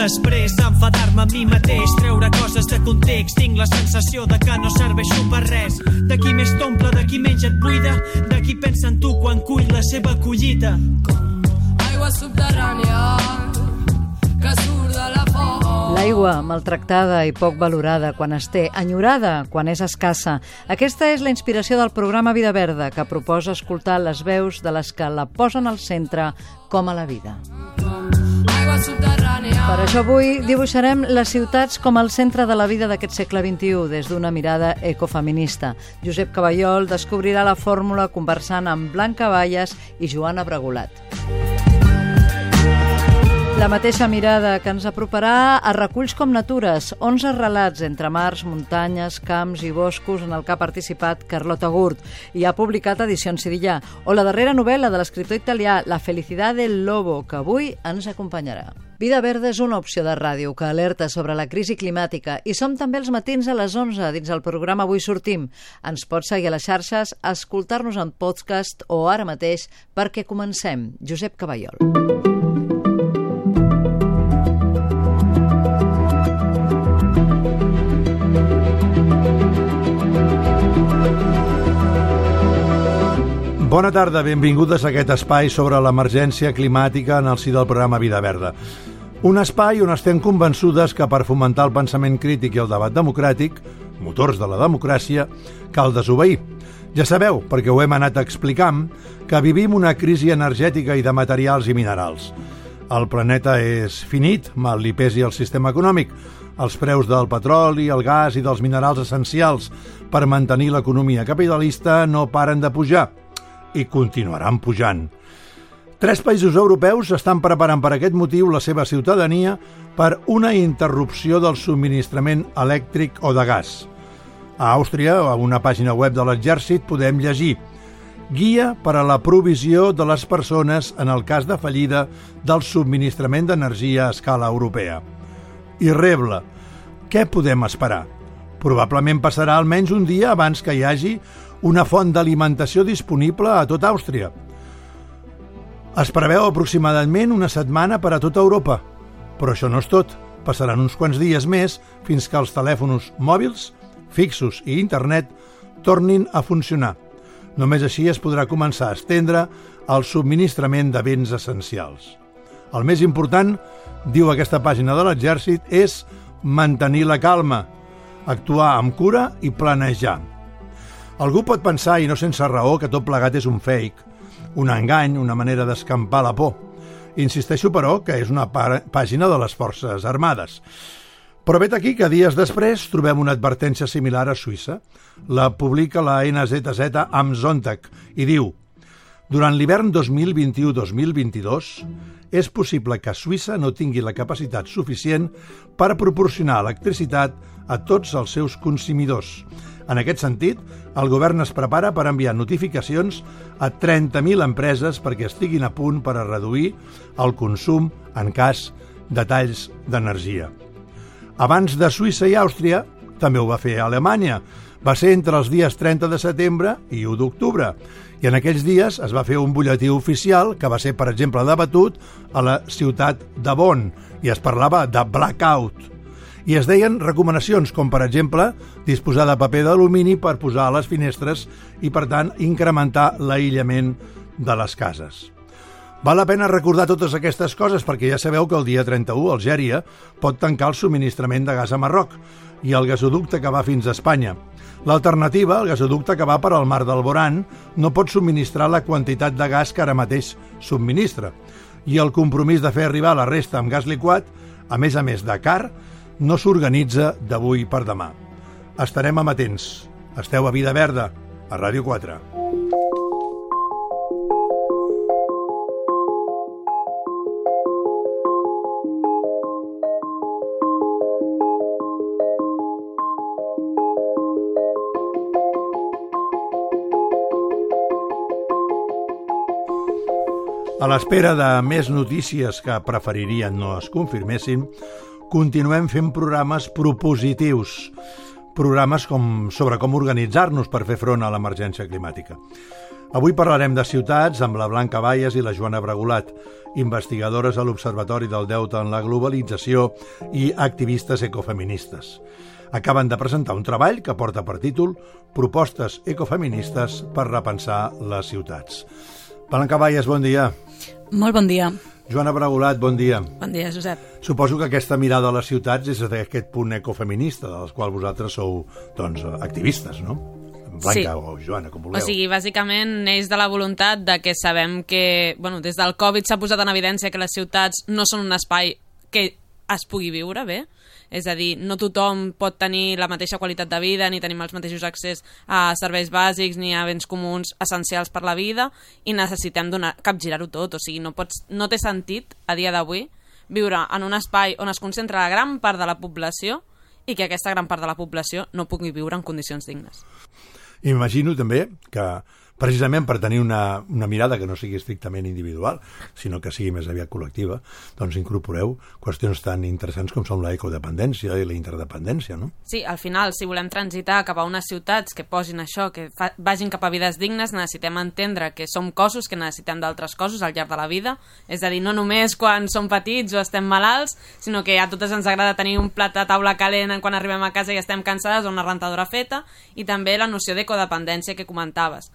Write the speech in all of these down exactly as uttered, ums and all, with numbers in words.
després enfadar-me a mi mateix, treure coses de context. Tinc la sensació de que no serveixo per res. De qui més t'omple, de qui menys et buida, de qui pensa en tu quan cull la seva collita. Aigua subterrània que surt de la font. L'aigua maltractada i poc valorada quan es té, enyorada quan és escassa. Aquesta és la inspiració del programa Vida Verda, que proposa escoltar les veus de les que la posen al centre com a la vida. Per això avui dibuixarem les ciutats com el centre de la vida d'aquest segle vint-i-u des d'una mirada ecofeminista. Josep Caballol descobrirà la fórmula conversant amb Blanca Bayas i Joana Bregolat. La mateixa mirada que ens aproparà a Reculls com Natures, onze relats entre mars, muntanyes, camps i boscos en el que ha participat Carlota Gurt i ha publicat Edicions Sirillà, o la darrera novel·la de l'escriptor italià La felicitat del lobo, que avui ens acompanyarà. Vida Verda és una opció de ràdio que alerta sobre la crisi climàtica i som també els matins a les onze dins el programa Avui sortim. Ens pots seguir a les xarxes, escoltar-nos en podcast o ara mateix perquè comencem. Josep Caballol. Bona tarda, benvingudes a aquest espai sobre l'emergència climàtica en el si del programa Vida Verda. Un espai on estem convençudes que per fomentar el pensament crític i el debat democràtic, motors de la democràcia, cal desobeir. Ja sabeu, perquè ho hem anat explicant, que vivim una crisi energètica i de materials i minerals. El planeta és finit, mal li pesi el sistema econòmic. Els preus del petroli, el gas i dels minerals essencials per mantenir l'economia capitalista no paren de pujar. I continuaran pujant. Tres països europeus estan preparant per aquest motiu la seva ciutadania per una interrupció del subministrament elèctric o de gas. A Àustria, a una pàgina web de l'Exèrcit, podem llegir Guia per a la provisió de les persones en el cas de fallida del subministrament d'energia a escala europea. I rebla, què podem esperar? Probablement passarà almenys un dia abans que hi hagi una font d'alimentació disponible a tota Àustria. Es preveu aproximadament una setmana per a tota Europa, però això no és tot. Passaran uns quants dies més fins que els telèfons mòbils, fixos i internet tornin a funcionar. Només així es podrà començar a estendre el subministrament de béns essencials. El més important, diu aquesta pàgina de l'Exèrcit, és mantenir la calma, actuar amb cura i planejar. Algú pot pensar, i no sense raó, que tot plegat és un fake, un engany, una manera d'escampar la por. Insisteixo, però, que és una pàgina de les Forces Armades. Però vet aquí que dies després trobem una advertència similar a Suïssa. La publica la N Z Z am Sonntag i diu: durant l'hivern dos mil vint-i-u dos mil vint-i-dos és possible que Suïssa no tingui la capacitat suficient per proporcionar electricitat a tots els seus consumidors. En aquest sentit, el govern es prepara per enviar notificacions a trenta mil empreses perquè estiguin a punt per a reduir el consum en cas de talls d'energia. Abans de Suïssa i Àustria, també ho va fer Alemanya. Va ser entre els dies trenta de setembre i u d'octubre. I en aquells dies es va fer un butlletí oficial que va ser, per exemple, debatut a la ciutat de Bonn i es parlava de blackout. I es deien recomanacions com, per exemple, disposar de paper d'alumini per posar a les finestres i, per tant, incrementar l'aïllament de les cases. Val la pena recordar totes aquestes coses perquè ja sabeu que el dia trenta-u Algèria pot tancar el subministrament de gas a Marroc i el gasoducte que va fins a Espanya. L'alternativa, el gasoducte que va per al mar del Boran, no pot subministrar la quantitat de gas que ara mateix subministra. I el compromís de fer arribar la resta amb gas liquat, a més a més de car, no s'organitza d'avui per demà. Estarem amatents. Esteu a Vida Verda, a Ràdio quatre. A l'espera de més notícies que preferirien no es confirmessin, continuem fent programes propositius, programes com, sobre com organitzar-nos per fer front a l'emergència climàtica. Avui parlarem de ciutats amb la Blanca Bayas i la Joana Bragulat, investigadores a l'Observatori del Deute en la Globalització i activistes ecofeministes. Acaben de presentar un treball que porta per títol Propostes ecofeministes per repensar les ciutats. Blanca Bayas, bon dia. Molt bon dia. Joana Bragulat, bon dia. Bon dia, Josep. Suposo que aquesta mirada a les ciutats és d'aquest punt ecofeminista, dels quals vosaltres sou, doncs, activistes, no? Blanca sí. O Joana, com vulgueu. O sigui, bàsicament neix de la voluntat de que sabem que, bueno, des del Covid s'ha posat en evidència que les ciutats no són un espai que es pugui viure bé. És a dir, no tothom pot tenir la mateixa qualitat de vida, ni tenim els mateixos accés a serveis bàsics, ni a béns comuns essencials per la vida, i necessitem donar, capgirar-ho tot. O sigui, no, pots, no té sentit, a dia d'avui, viure en un espai on es concentra la gran part de la població i que aquesta gran part de la població no pugui viure en condicions dignes. Imagino també que, precisament per tenir una, una mirada que no sigui estrictament individual, sinó que sigui més aviat col·lectiva, doncs incorporeu qüestions tan interessants com són la ecodependència i la interdependència, no? Sí, al final, si volem transitar cap a unes ciutats que posin això, que fa, vagin cap a vides dignes, necessitem entendre que som cossos, que necessitem d'altres cossos al llarg de la vida. És a dir, no només quan som petits o estem malalts, sinó que a totes ens agrada tenir un plat de taula calent quan arribem a casa i estem cansades o una rentadora feta, i també la noció d'ecodependència que comentaves.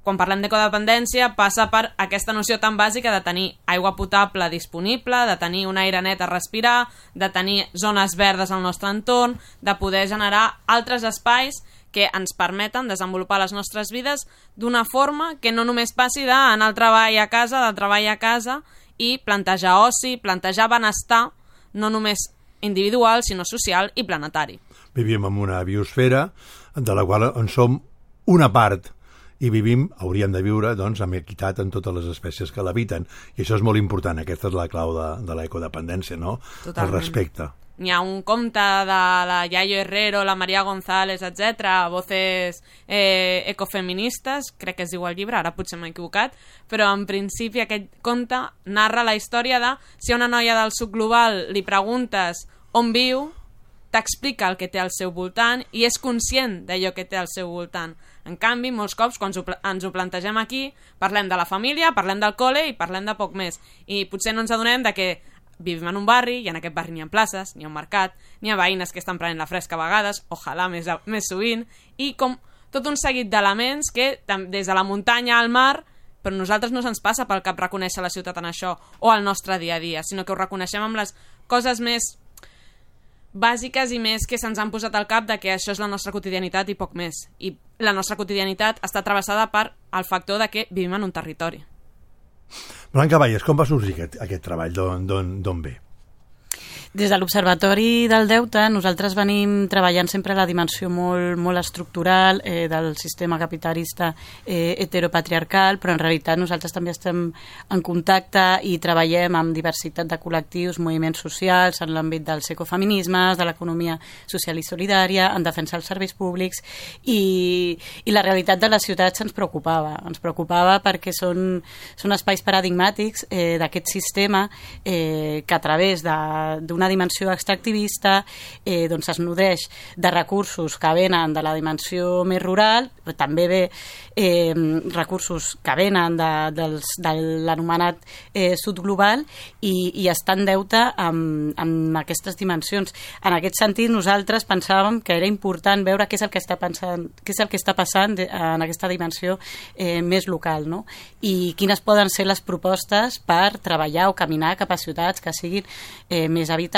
Quan parlem d'ecodependència passa per aquesta noció tan bàsica de tenir aigua potable disponible, de tenir un aire net a respirar, de tenir zones verdes al nostre entorn, de poder generar altres espais que ens permeten desenvolupar les nostres vides d'una forma que no només passi d'anar al treball a casa, del treball a casa, i plantejar oci, plantejar benestar, no només individual, sinó social i planetari. Vivim en una biosfera de la qual en som una part, i vivim, hauríem de viure, doncs, amb equitat en totes les espècies que l'habiten. I això és molt important, aquesta és la clau de, de l'ecodependència, no? Totalment. El respecte. N'hi ha un conte de la Yayo Herrero, la Maria González, etcètera, voces eh, ecofeministes, crec que es diu el llibre, ara potser m'he equivocat, però en principi aquest conte narra la història de si a una noia del sud global li preguntes on viu, t'explica el que té al seu voltant i és conscient d'allò que té al seu voltant. En canvi, molts cops, quan ens ho plantegem aquí, parlem de la família, parlem del col·le i parlem de poc més. I potser no ens adonem de que vivim en un barri i en aquest barri n'hi ha places, n'hi ha un mercat, n'hi ha veïnes que estan prenent la fresca a vegades, ojalà més, més sovint, i com tot un seguit d'elements que, des de la muntanya al mar, però a nosaltres no se'ns passa pel cap reconèixer la ciutat en això o el nostre dia a dia, sinó que ho reconeixem amb les coses més bàsiques i més que se'ns han posat al cap de que això és la nostra quotidianitat i poc més. I la nostra quotidianitat està travessada per el factor de que vivim en un territori. Blanca Bayas, com va sorgir aquest, aquest treball? D'on ve? Des de l'Observatori del Deute nosaltres venim treballant sempre la dimensió molt, molt estructural eh, del sistema capitalista eh, heteropatriarcal, però en realitat nosaltres també estem en contacte i treballem amb diversitat de col·lectius, moviments socials, en l'àmbit dels ecofeminismes, de l'economia social i solidària, en defensa dels serveis públics, i, i la realitat de les ciutats ens preocupava. Ens preocupava perquè són, són espais paradigmàtics eh, d'aquest sistema eh, que a través d'una dimensió extractivista eh, doncs es nodreix de recursos que venen de la dimensió més rural, però també ve eh, recursos que venen de, dels, de l'anomenat eh, sud global i, i està en deute amb, amb aquestes dimensions. En aquest sentit nosaltres pensàvem que era important veure què és el que està, pensant, què és el que està passant de, en aquesta dimensió eh, més local, no? I quines poden ser les propostes per treballar o caminar cap a ciutats que siguin eh, més habitables,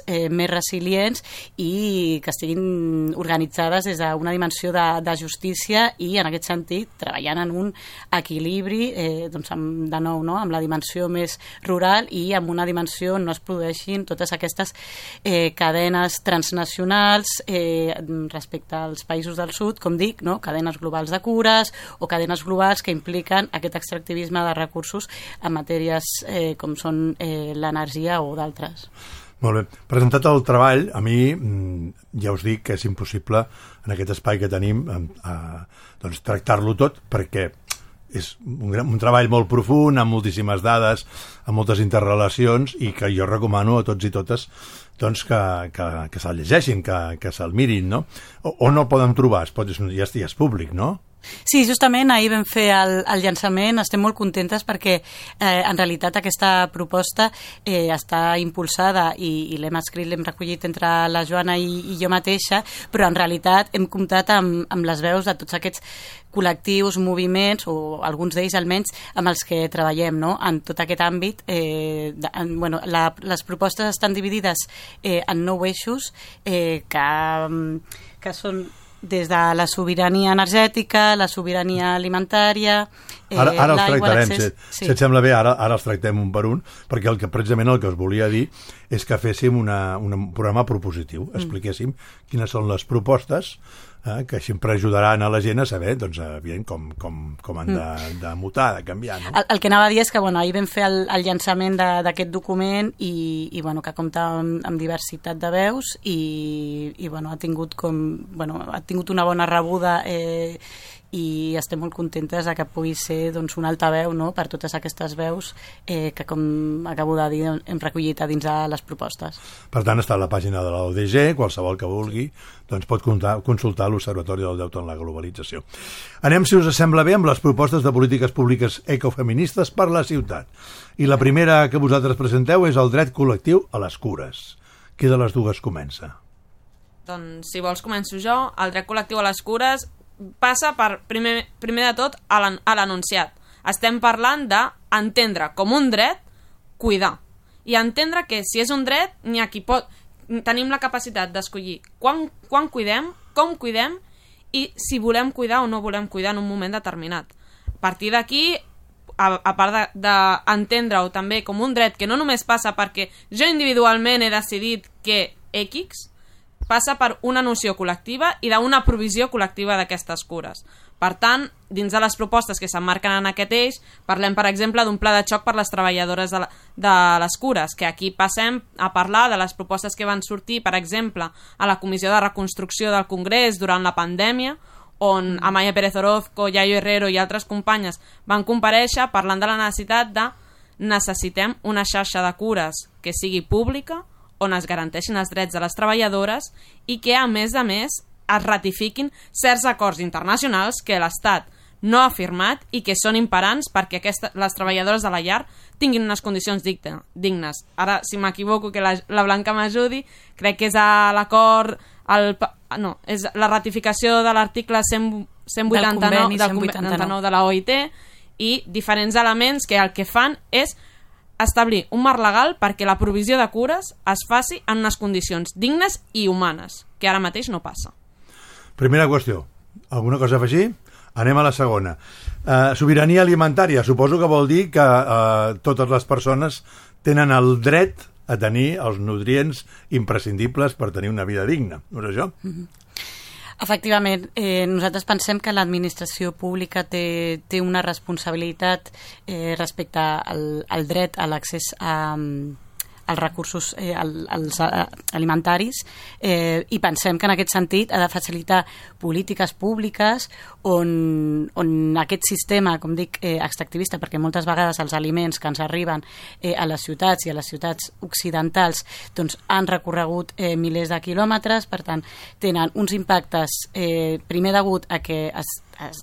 eh, més resilients i que estiguin organitzades des d'una dimensió de, de justícia i en aquest sentit treballant en un equilibri eh, doncs amb, de nou, no? Amb la dimensió més rural i amb una dimensió on no es produeixin totes aquestes eh, cadenes transnacionals eh, respecte als països del sud, com dic, no? Cadenes globals de cures o cadenes globals que impliquen aquest extractivisme de recursos en matèries eh, com són eh, l'energia o d'altres. Molt bé. Presentat el treball, a mi ja us dic que és impossible en aquest espai que tenim eh, doncs, tractar-lo tot perquè és un, un treball molt profund, amb moltíssimes dades, amb moltes interrelacions i que jo recomano a tots i totes doncs, que, que, que se'l llegeixin, que, que se'l mirin, no? O, on el poden trobar? Es pot, ja, ja és públic, no? Sí, justament ahir vam fer el, el llançament, estem molt contentes perquè eh, en realitat aquesta proposta eh, està impulsada i, i l'hem escrit, l'hem recollit entre la Joana i, i jo mateixa, però en realitat hem comptat amb, amb les veus de tots aquests col·lectius, moviments, o alguns d'ells almenys, amb els que treballem, no?, en tot aquest àmbit. Eh, de, en, bueno, la, les propostes estan dividides eh, en nou eixos eh, que, que són des de la sobirania energètica, la sobirania alimentària, eh, ara, ara els l'aigua, tractarem, l'accés... si, sí. si et sembla bé, ara, ara els tractem un per un, perquè el que precisament el que us volia dir és que féssim una, un programa propositiu, expliquéssim mm. quines són les propostes eh, que sempre ajudaran a la gent a saber, doncs, evident, com, com, com han de, de mutar, de canviar. No? El, el que anava a dir és que bueno, ahir vam fer el, el llançament d'aquest document i, i bueno, que compta amb, amb diversitat de veus i, i bueno, ha tingut com, bueno, ha tingut una bona rebuda eh, i estem molt contentes de que pugui ser doncs, un altaveu, no?, per totes aquestes veus eh, que, com acabo de dir, hem recollit a dins de les propostes. Per tant, està a la pàgina de l'O D G, qualsevol que vulgui doncs pot contar, consultar l'Observatori del Deute en la Globalització. Anem, si us sembla bé, amb les propostes de polítiques públiques ecofeministes per la ciutat. I la primera que vosaltres presenteu és el dret col·lectiu a les cures. Qui de les dues comença? Doncs, si vols, començo jo. El dret col·lectiu a les cures passa per, primer, primer de tot, a l'enunciat. Estem parlant d'entendre com un dret cuidar. I entendre que si és un dret, n'hi ha qui pot... Tenim la capacitat d'escollir quan, quan cuidem, com cuidem i si volem cuidar o no volem cuidar en un moment determinat. A partir d'aquí, a, a part d'entendre-ho de, també com un dret que no només passa perquè jo individualment he decidit que X, passa per una noció col·lectiva i d'una provisió col·lectiva d'aquestes cures. Per tant, dins de les propostes que s'emmarquen en aquest eix, parlem, per exemple, d'un pla de xoc per les treballadores de, la, de les cures, que aquí passem a parlar de les propostes que van sortir, per exemple, a la Comissió de Reconstrucció del Congrés durant la pandèmia, on Amaya Pérez Orozco, Yayo Herrero i altres companyes van comparèixer parlant de la necessitat de necessitem una xarxa de cures que sigui pública, on es garanteixin els drets de les treballadores i que, a més a més, es ratifiquin certs acords internacionals que l'Estat no ha firmat i que són imperants perquè aquesta, les treballadores de la llar tinguin unes condicions dignes. Ara, si m'equivoco, que la, la Blanca m'ajudi, crec que és a l'acord... No, és la ratificació de l'article cent vuitanta-nou del conveni de la O I T i diferents elements que el que fan és establir un marc legal perquè la provisió de cures es faci en unes condicions dignes i humanes, que ara mateix no passa. Primera qüestió. Alguna cosa a afegir? Anem a la segona. Uh, sobirania alimentària. Suposo que vol dir que uh, totes les persones tenen el dret a tenir els nutrients imprescindibles per tenir una vida digna. No és això? Mm-hmm. Efectivament, eh, nosaltres pensem que l'administració pública té, té una responsabilitat eh, respecte al, al dret a l'accés a, als recursos eh, als, als alimentaris eh, i pensem que en aquest sentit ha de facilitar polítiques públiques on, on aquest sistema, com dic, eh, extractivista, perquè moltes vegades els aliments que ens arriben eh, a les ciutats i a les ciutats occidentals doncs, han recorregut eh, milers de quilòmetres, per tant tenen uns impactes eh, primer degut a que es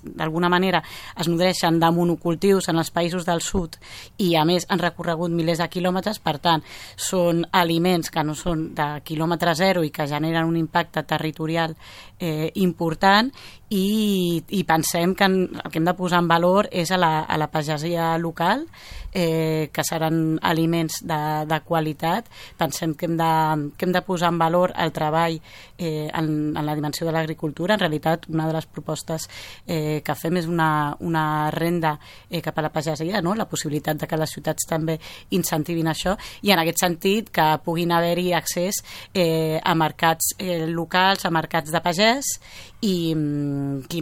d'alguna manera es nodreixen de monocultius en els països del sud i a més han recorregut milers de quilòmetres, per tant són aliments que no són de quilòmetre zero i que generen un impacte territorial eh, important i, i pensem que en, el que hem de posar en valor és a la, a la pagesia local, eh, que seran aliments de, de qualitat. Pensem que hem, de, que hem de posar en valor el treball eh, en, en la dimensió de l'agricultura. En realitat, una de les propostes eh, que fem és una, una renda eh, cap a la pagesia, no? La possibilitat de que les ciutats també incentivin això i en aquest sentit que puguin haver-hi accés eh, a mercats eh, locals, a mercats de pagès i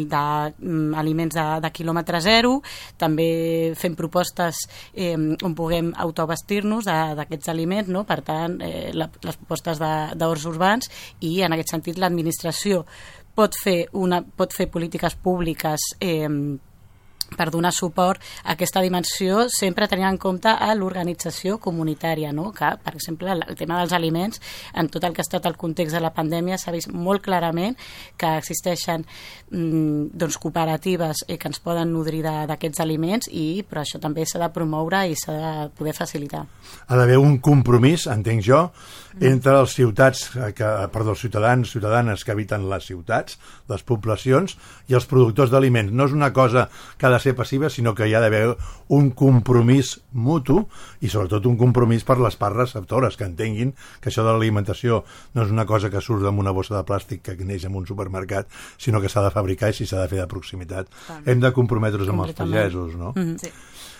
d'aliments de, de, de quilòmetre zero. També fem propostes eh, on puguem autoabastir-nos d'aquests aliments, no? Per tant, eh, la, les propostes d'horts urbans i en aquest sentit l'administració pot fer, una, pot fer polítiques públiques eh, per donar suport a aquesta dimensió, sempre tenint en compte a l'organització comunitària, no? Que, per exemple, el tema dels aliments, en tot el que ha estat el context de la pandèmia, s'ha vist molt clarament que existeixen mm, doncs, cooperatives eh, que ens poden nodrir d'aquests aliments, i però això també s'ha de promoure i s'ha de poder facilitar. Ha d'haver un compromís, entenc jo, entre els ciutats, que, perdó, els ciutadans, ciutadanes que habiten les ciutats, les poblacions, i els productors d'aliments. No és una cosa que ha de ser passiva, sinó que hi ha d'haver un compromís mutu i sobretot un compromís per les parts receptores, que entenguin que això de l'alimentació no és una cosa que surt amb una bossa de plàstic que neix en un supermercat, sinó que s'ha de fabricar i si s'ha de fer de proximitat. Clar. Hem de comprometre's amb els pagesos, no? Mm-hmm. Sí.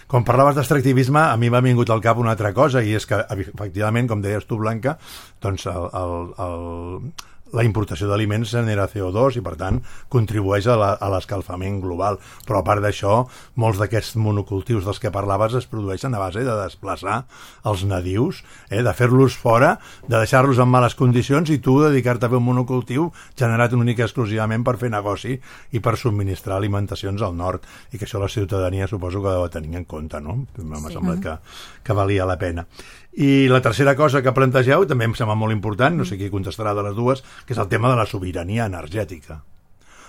Quan parlaves d'extractivisme, a mi m'ha vingut al cap una altra cosa, i és que, efectivament, com deies tu, Blanca, doncs el, el, el, la importació d'aliments genera C O dos i, per tant, contribueix a l'escalfament global. Però, a part d'això, molts d'aquests monocultius dels que parlaves es produeixen a base de desplaçar els nadius, eh, de fer-los fora, de deixar-los en males condicions i tu dedicar-te a fer un monocultiu generat únicament exclusivament per fer negoci i per subministrar alimentacions al nord. I que això la ciutadania suposo que ho tenir en compte, no? M'ha sí. semblat que, que valia la pena. I la tercera cosa que plantegeu també em sembla molt important, no sé qui contestarà de les dues, que és el tema de la sobirania energètica.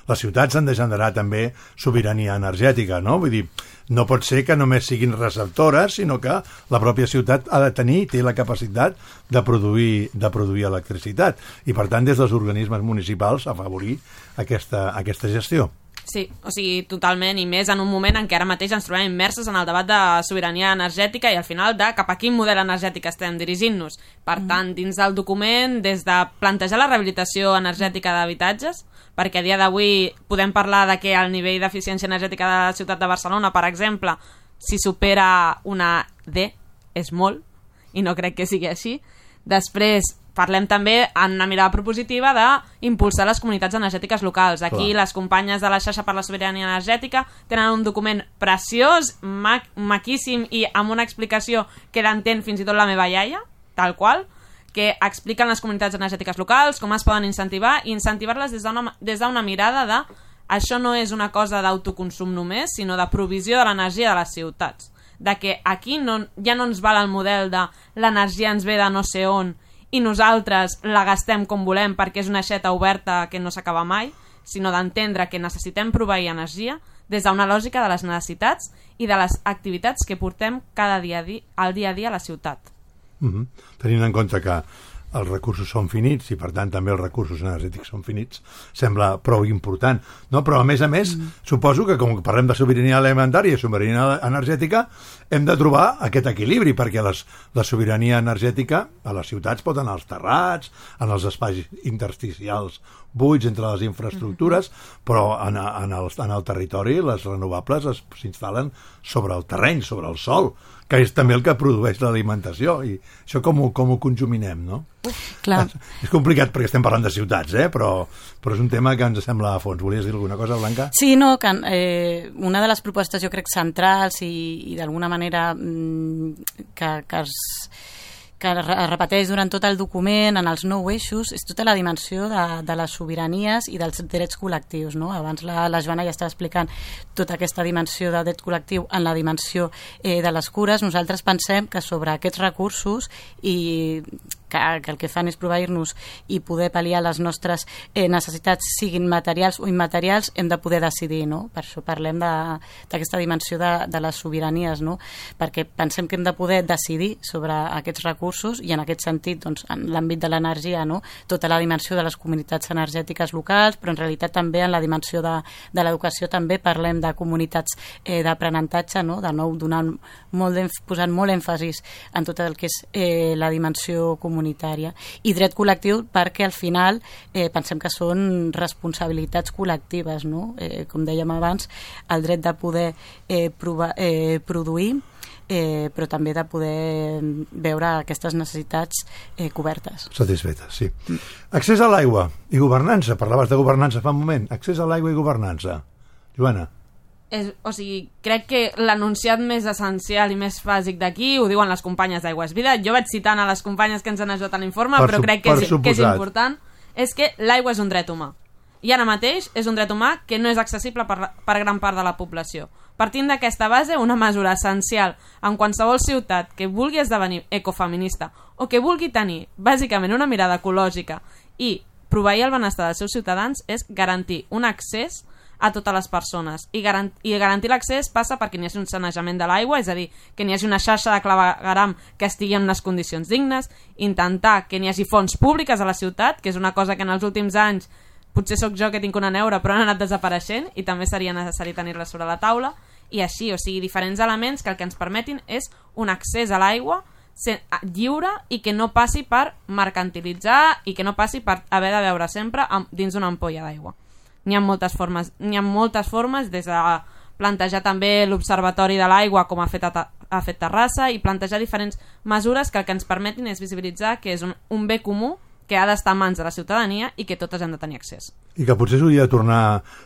Les ciutats han de generar també sobirania energètica, no? Vull dir, no pot ser que només siguin receptores, sinó que la pròpia ciutat ha de tenir, té la capacitat de produir, de produir electricitat. I, per tant, des dels organismes municipals, afavorir aquesta, aquesta gestió. Sí, o sigui, totalment, i més en un moment en què ara mateix ens trobem immersos en el debat de sobirania energètica i al final de cap a quin model energètic estem dirigint-nos. Per tant, dins del document, des de plantejar la rehabilitació energètica d'habitatges, perquè a dia d'avui podem parlar de que el nivell d'eficiència energètica de la ciutat de Barcelona, per exemple, si supera una D, és molt, i no crec que sigui així. Després, parlem també en una mirada propositiva d'impulsar les comunitats energètiques locals. Aquí Clar. Les companyes de la xarxa per la sobirania energètica tenen un document preciós, ma maquíssim i amb una explicació que l'entén fins i tot la meva iaia, tal qual, que expliquen les comunitats energètiques locals, com es poden incentivar i incentivar-les des d'una des d'una mirada de això no és una cosa d'autoconsum només, sinó de provisió de l'energia de les ciutats. De que aquí no, ja no ens val el model de l'energia ens ve de no sé on i nosaltres la gastem com volem perquè és una aixeta oberta que no s'acaba mai, sinó d'entendre que necessitem proveir energia des d'una lògica de les necessitats i de les activitats que portem cada dia al dia a dia a la ciutat. Mm-hmm. Tenint en compte que els recursos són finits i per tant també els recursos energètics són finits, sembla prou important, no? Però a més a més mm. suposo que com parlem de sobirania alimentària i sobirania energètica hem de trobar aquest equilibri, perquè les, la sobirania energètica a les ciutats pot anar als terrats, en els espais intersticials buits entre les infraestructures, mm-hmm. però en, en, el, en el territori les renovables s'instal·len sobre el terreny, sobre el sòl, que és també el que produeix l'alimentació, i això com ho, com ho conjuminem, no? Clar. És complicat perquè estem parlant de ciutats, eh? però, però és un tema que ens sembla a fons. Volies dir alguna cosa, Blanca? Sí, no, que eh, una de les propostes jo crec centrals i, i d'alguna manera mm, que, que es que es repeteix durant tot el document en els nou eixos, és tota la dimensió de, de les sobiranies i dels drets col·lectius, no? Abans la, la Joana ja estava explicant tota aquesta dimensió de dret col·lectiu en la dimensió eh, de les cures. Nosaltres pensem que sobre aquests recursos i que, que el que fan és proveir-nos i poder pal·liar les nostres eh, necessitats, siguin materials o immaterials, hem de poder decidir, no? Per això parlem d'aquesta dimensió de, de les sobiranies, no? Perquè pensem que hem de poder decidir sobre aquests recursos i en aquest sentit, doncs, en l'àmbit de l'energia, no? Tota la dimensió de les comunitats energètiques locals, però en realitat també en la dimensió de, de l'educació també parlem de comunitats eh, d'aprenentatge, no? De nou donant molt posant molt èmfasis en tot el que és eh, la dimensió comunitària i dret col·lectiu, perquè al final eh, pensem que són responsabilitats col·lectives, no? Eh, com dèiem abans, el dret de poder eh, provar, eh, produir Eh, però també de poder veure aquestes necessitats eh, cobertes. Satisfetes, sí. Mm. Accés a l'aigua i governança. Parlaves de governança fa un moment. Accés a l'aigua i governança. Joana. És, o sigui, crec que l'enunciat més essencial i més bàsic d'aquí ho diuen les companyes d'Aigües Vida. Jo vaig citant a les companyes que ens han ajudat a l'informe, però crec que és, que és important. És que l'aigua és un dret humà. i ara mateix és un dret humà que no és accessible per, per gran part de la població. Partint d'aquesta base, una mesura essencial en qualsevol ciutat que vulgui esdevenir ecofeminista o que vulgui tenir, bàsicament, una mirada ecològica i proveir el benestar dels seus ciutadans és garantir un accés a totes les persones. I, garant i garantir l'accés passa perquè n'hi hagi un sanejament de l'aigua, és a dir, que n'hi hagi una xarxa de clavegueram que estigui en unes condicions dignes, intentar que n'hi hagi fonts públiques a la ciutat, que és una cosa que en els últims anys, potser sóc jo que tinc una neura, però han anat desapareixent i també seria necessari tenir-la sobre la taula, i així, o sigui, diferents elements que el que ens permetin és un accés a l'aigua lliure i que no passi per mercantilitzar i que no passi per haver de beure sempre dins d'una ampolla d'aigua. N'hi ha moltes formes, n'hi ha moltes formes, des de plantejar també l'Observatori de l'Aigua com ha fet, a, ha fet Terrassa, i plantejar diferents mesures que el que ens permetin és visibilitzar que és un, un bé comú que ha d'estar a mans de la ciutadania i que totes hem de tenir accés. I que potser s'hauria de tornar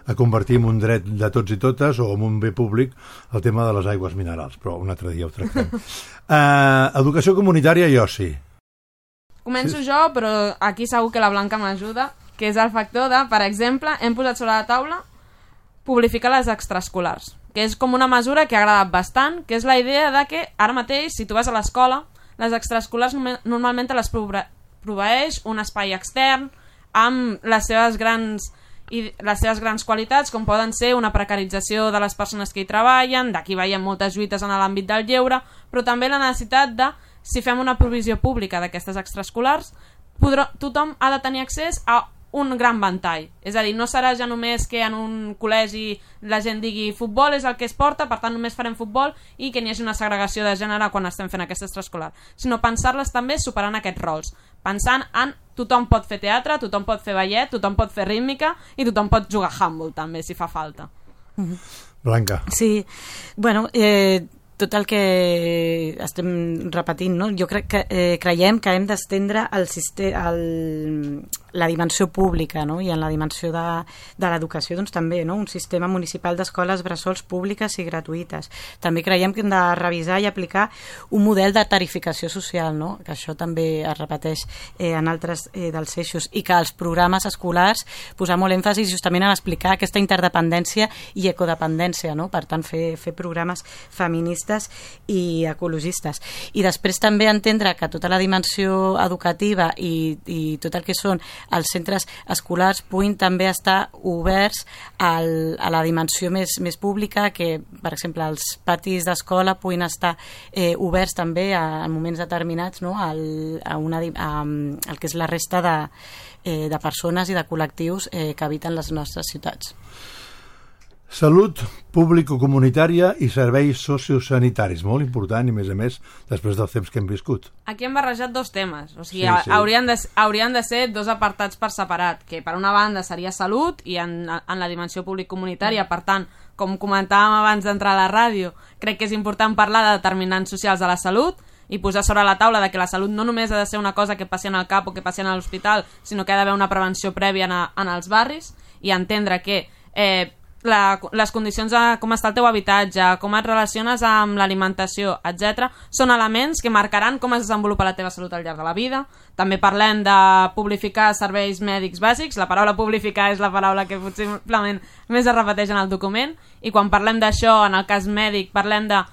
a convertir en un dret de tots i totes o en un bé públic el tema de les aigües minerals, però un altre dia ho tractem. uh, educació comunitària i oci. Començo sí. jo, però aquí segur que la Blanca m'ajuda, que és el factor de, per exemple, hem posat sobre la taula publificar les extraescolars, que és com una mesura que ha agradat bastant, que és la idea de que ara mateix, si tu vas a l'escola, les extraescolars normalment te les proveeix un espai extern amb les seves grans i les seves grans qualitats, com poden ser una precarització de les persones que hi treballen, d'aquí veiem moltes lluites en l'àmbit del lleure, però també la necessitat de, si fem una provisió pública d'aquestes extraescolars, podrà, tothom ha de tenir accés a un gran ventall. És a dir, no serà ja només que en un col·legi la gent digui futbol és el que es porta, per tant només farem futbol i que n'hi hagi una segregació de gènere quan estem fent aquesta extraescolar, sinó pensar-les també superant aquests rols, pensant en tothom pot fer teatre, tothom pot fer ballet, tothom pot fer rítmica i tothom pot jugar a handball també, si fa falta. Blanca. Sí, bueno, eh, tot el que estem repetint, no? Jo crec que eh, creiem que hem d'estendre el, el, la dimensió pública, no? I en la dimensió de, de l'educació doncs, també, no? Un sistema municipal d'escoles bressols públiques i gratuïtes. També creiem que hem de revisar i aplicar un model de tarificació social, no? Que això també es repeteix eh, en altres eh, dels eixos, i que els programes escolars posar molt èmfasi justament en explicar aquesta interdependència i ecodependència, no? Per tant, fer, fer programes feministes i ecologistes. I després també entendre que tota la dimensió educativa i, i tot el que són els centres escolars puguin també estar oberts al, a la dimensió més, més pública, que per exemple els patis d'escola puguin estar eh, oberts també a, a moments determinats, no? al, a una, a, al que és la resta de, eh, de persones i de col·lectius eh, que habiten les nostres ciutats. Salut público-comunitària i serveis sociosanitaris, molt important i, més a més, després del temps que hem viscut. Aquí hem barrejat dos temes, o sigui, sí, sí. Haurien, de, haurien de ser dos apartats per separat, que per una banda seria salut i en, en la dimensió públic-comunitària, per tant, com comentàvem abans d'entrar a la ràdio, crec que és important parlar de determinants socials de la salut i posar sobre la taula de que la salut no només ha de ser una cosa que passi en el cap o que passi en l'hospital, sinó que ha d'haver una prevenció prèvia en, a, en els barris, i entendre que eh, La, les condicions de com està el teu habitatge, com et relaciones amb l'alimentació, etcètera, són elements que marcaran com es desenvolupa la teva salut al llarg de la vida. També parlem de publificar serveis mèdics bàsics. La paraula publificar és la paraula que possiblement més es repeteix en el document, i quan parlem d'això, en el cas mèdic, parlem de...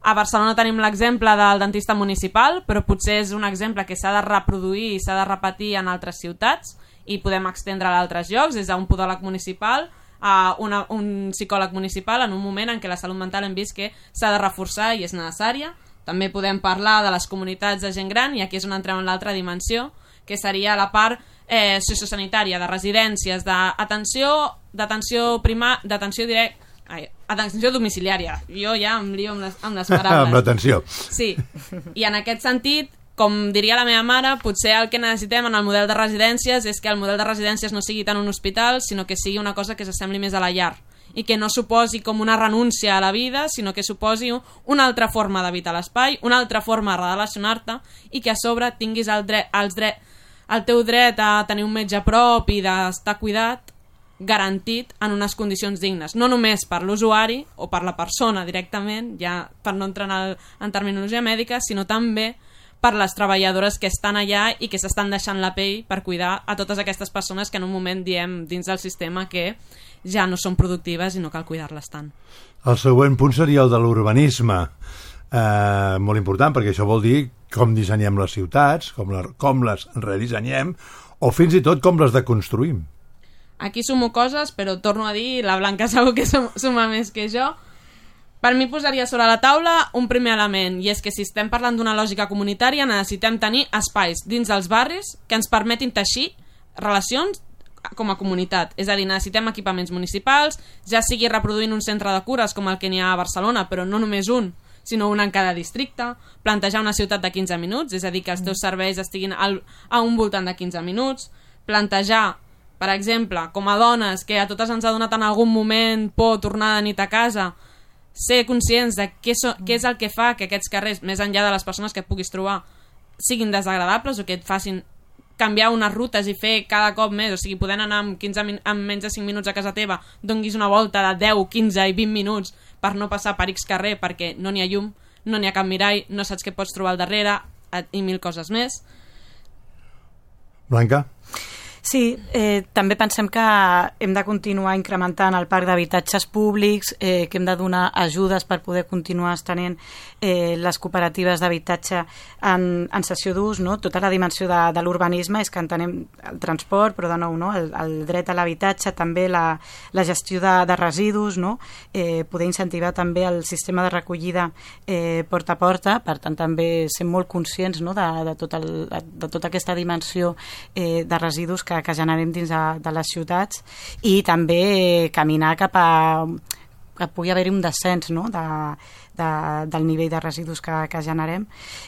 A Barcelona tenim l'exemple del dentista municipal, però potser és un exemple que s'ha de reproduir i s'ha de repetir en altres ciutats, i podem estendre a altres llocs, des d'un podòleg municipal a una, un psicòleg municipal, en un moment en què la salut mental hem vist que s'ha de reforçar i és necessària. També podem parlar de les comunitats de gent gran, i aquí és on entrem en l'altra dimensió, que seria la part eh, sociosanitària, de residències, d'atenció d'atenció prima, d'atenció directa, ai, atenció domiciliària. Jo ja em lio amb les, amb les paraules. Amb l'atenció. Sí, i en aquest sentit, com diria la meva mare, potser el que necessitem en el model de residències és que el model de residències no sigui tant un hospital, sinó que sigui una cosa que s'assembli més a la llar, i que no suposi com una renúncia a la vida, sinó que suposi una altra forma d'habitar l'espai, una altra forma de relacionar-te, i que a sobre tinguis el, dret, els dret, el teu dret a tenir un metge a prop i d'estar cuidat garantit en unes condicions dignes, no només per l'usuari o per la persona directament, ja per no entrar en, el, en terminologia mèdica, sinó també per les treballadores que estan allà i que s'estan deixant la pell per cuidar a totes aquestes persones que en un moment diem dins del sistema que ja no són productives i no cal cuidar-les tant. El següent punt seria el de l'urbanisme. Eh, molt important, perquè això vol dir com dissenyem les ciutats, com, la, com les redissenyem, o fins i tot com les deconstruïm. Aquí sumo coses, però torno a dir, la Blanca segur que suma més que jo. Per mi posaria sobre la taula un primer element, i és que si estem parlant d'una lògica comunitària necessitem tenir espais dins dels barris que ens permetin teixir relacions com a comunitat. És a dir, necessitem equipaments municipals, ja sigui reproduint un centre de cures com el que n'hi ha a Barcelona, però no només un, sinó una en cada districte, plantejar una ciutat de quinze minuts, és a dir, que els teus serveis estiguin al, a un voltant de quinze minuts, plantejar, per exemple, com a dones, que a totes ens ha donat en algun moment por tornar de nit a casa, ser conscients de què, so, què és el que fa que aquests carrers, més enllà de les persones que puguis trobar, siguin desagradables o que et facin canviar unes rutes i fer cada cop més, o sigui, podent anar amb, quinze, amb menys de cinc minuts a casa teva, donguis una volta de deu, quinze i vint minuts per no passar per X carrer perquè no n'hi ha llum, no n'hi ha cap mirall, no saps què pots trobar al darrere i mil coses més. Blanca? Sí, eh, també pensem que hem de continuar incrementant el parc d'habitatges públics, eh, que hem de donar ajudes per poder continuar estenent eh, les cooperatives d'habitatge en, en cessió d'ús, no? Tota la dimensió de, de l'urbanisme és que entenem el transport, però de nou, no? el, el dret a l'habitatge, també la, la gestió de, de residus, no? eh, poder incentivar també el sistema de recollida eh, porta a porta, per tant també ser molt conscients, no? de, de, tot el, de tota aquesta dimensió eh, de residus que que, que generem dins de, de les ciutats, i també caminar cap a que pugui haver-hi un descens, no? de, de, del nivell de residus que, que generem.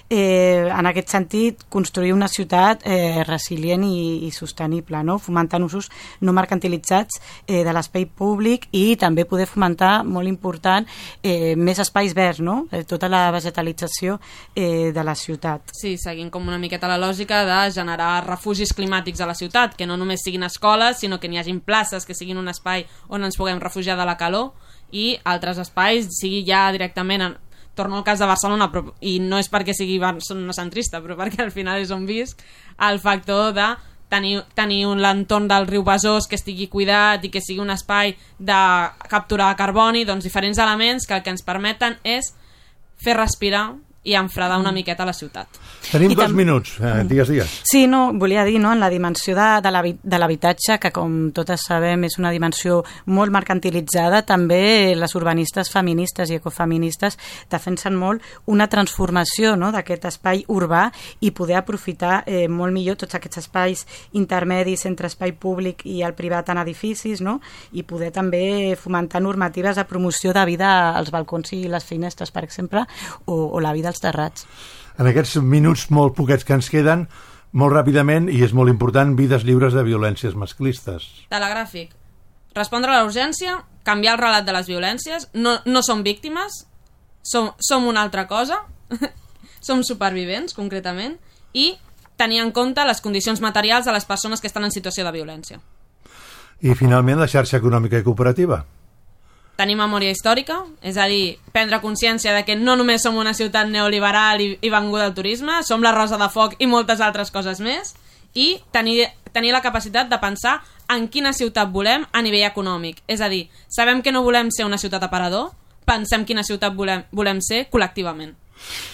Eh, en aquest sentit, construir una ciutat eh, resilient i, i sostenible, no? Fomentant usos no mercantilitzats eh, de l'espai públic, i també poder fomentar, molt important, eh, més espais verds, no? Eh, tota la vegetalització eh, de la ciutat. Sí, seguint com una miqueta la lògica de generar refugis climàtics a la ciutat, que no només siguin escoles, sinó que n'hi hagin places, que siguin un espai on ens puguem refugiar de la calor, i altres espais, sigui ja directament en, torno al cas de Barcelona, però, i no és perquè sigui Barcelona centrista, però perquè al final és on visc, el factor de tenir, tenir un l'entorn del riu Besòs que estigui cuidat i que sigui un espai de capturar carboni, doncs diferents elements que el que ens permeten és fer respirar i enfredar una miqueta la ciutat. Tenim I dos tam... minuts, eh, digues, digues. Sí, no, volia dir, no, en la dimensió de, de l'habitatge, que com totes sabem és una dimensió molt mercantilitzada, també les urbanistes feministes i ecofeministes defensen molt una transformació, no, d'aquest espai urbà i poder aprofitar eh, molt millor tots aquests espais intermedis entre espai públic i el privat en edificis, no, i poder també fomentar normatives de promoció de vida als balcons i les finestres, per exemple, o, o la vida als terrats. En aquests minuts molt poquets que ens queden, molt ràpidament, i és molt important, vides lliures de violències masclistes. Telegràfic. Respondre a la urgència, canviar el relat de les violències, no, no som víctimes, som, som una altra cosa, som supervivents, concretament, i tenir en compte les condicions materials de les persones que estan en situació de violència. I, finalment, la xarxa econòmica i cooperativa. Tenir memòria històrica, és a dir, prendre consciència de que no només som una ciutat neoliberal i, i venguda al turisme, som la Rosa de Foc i moltes altres coses més, i tenir, tenir la capacitat de pensar en quina ciutat volem a nivell econòmic. És a dir, sabem que no volem ser una ciutat aparador, pensem quina ciutat volem, volem ser col·lectivament.